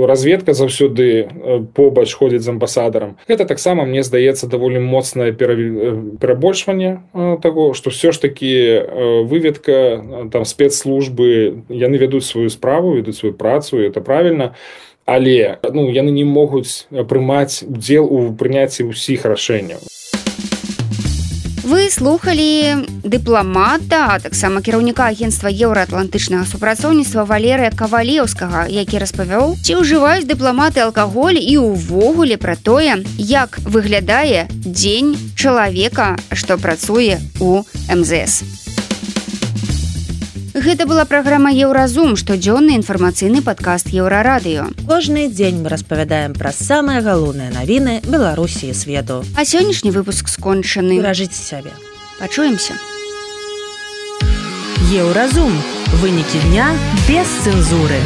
разведка заўсёды побач ходзіць з амбасадарам, гэта таксама, мне здаецца, даволі моцнае перабольшванне таго, што ўсё ж такі выведка, там спецслужбы, яны вядуць сваю справу, вядуць сваю працу, і это правільна. Але ну, яны не могуць прымаць удзел у прыняцці ўсіх рашэнняў. Вы слухалі дыпламата, а таксама кіраўніка агенцтва еўраатлантычнага супрацоўніцтва Валерыя Кавалеўскага, які распавёў, ці ўжываюць дыпламаты алкаголь і ўвогуле пра тое, як выглядае дзень чалавека, што працуе ў эм зэ эс. Гэта была праграма «Еўразум», штодзённы інфармацыйны падкаст Еўрарадыё. Кожны дзень мы распавядаем пра самыя галоўныя навіны Беларусі і свету. А сённяшні выпуск скончаны. Беражыце сябе. Пачуемся. Еўразум. Вынікі дня без цэнзуры.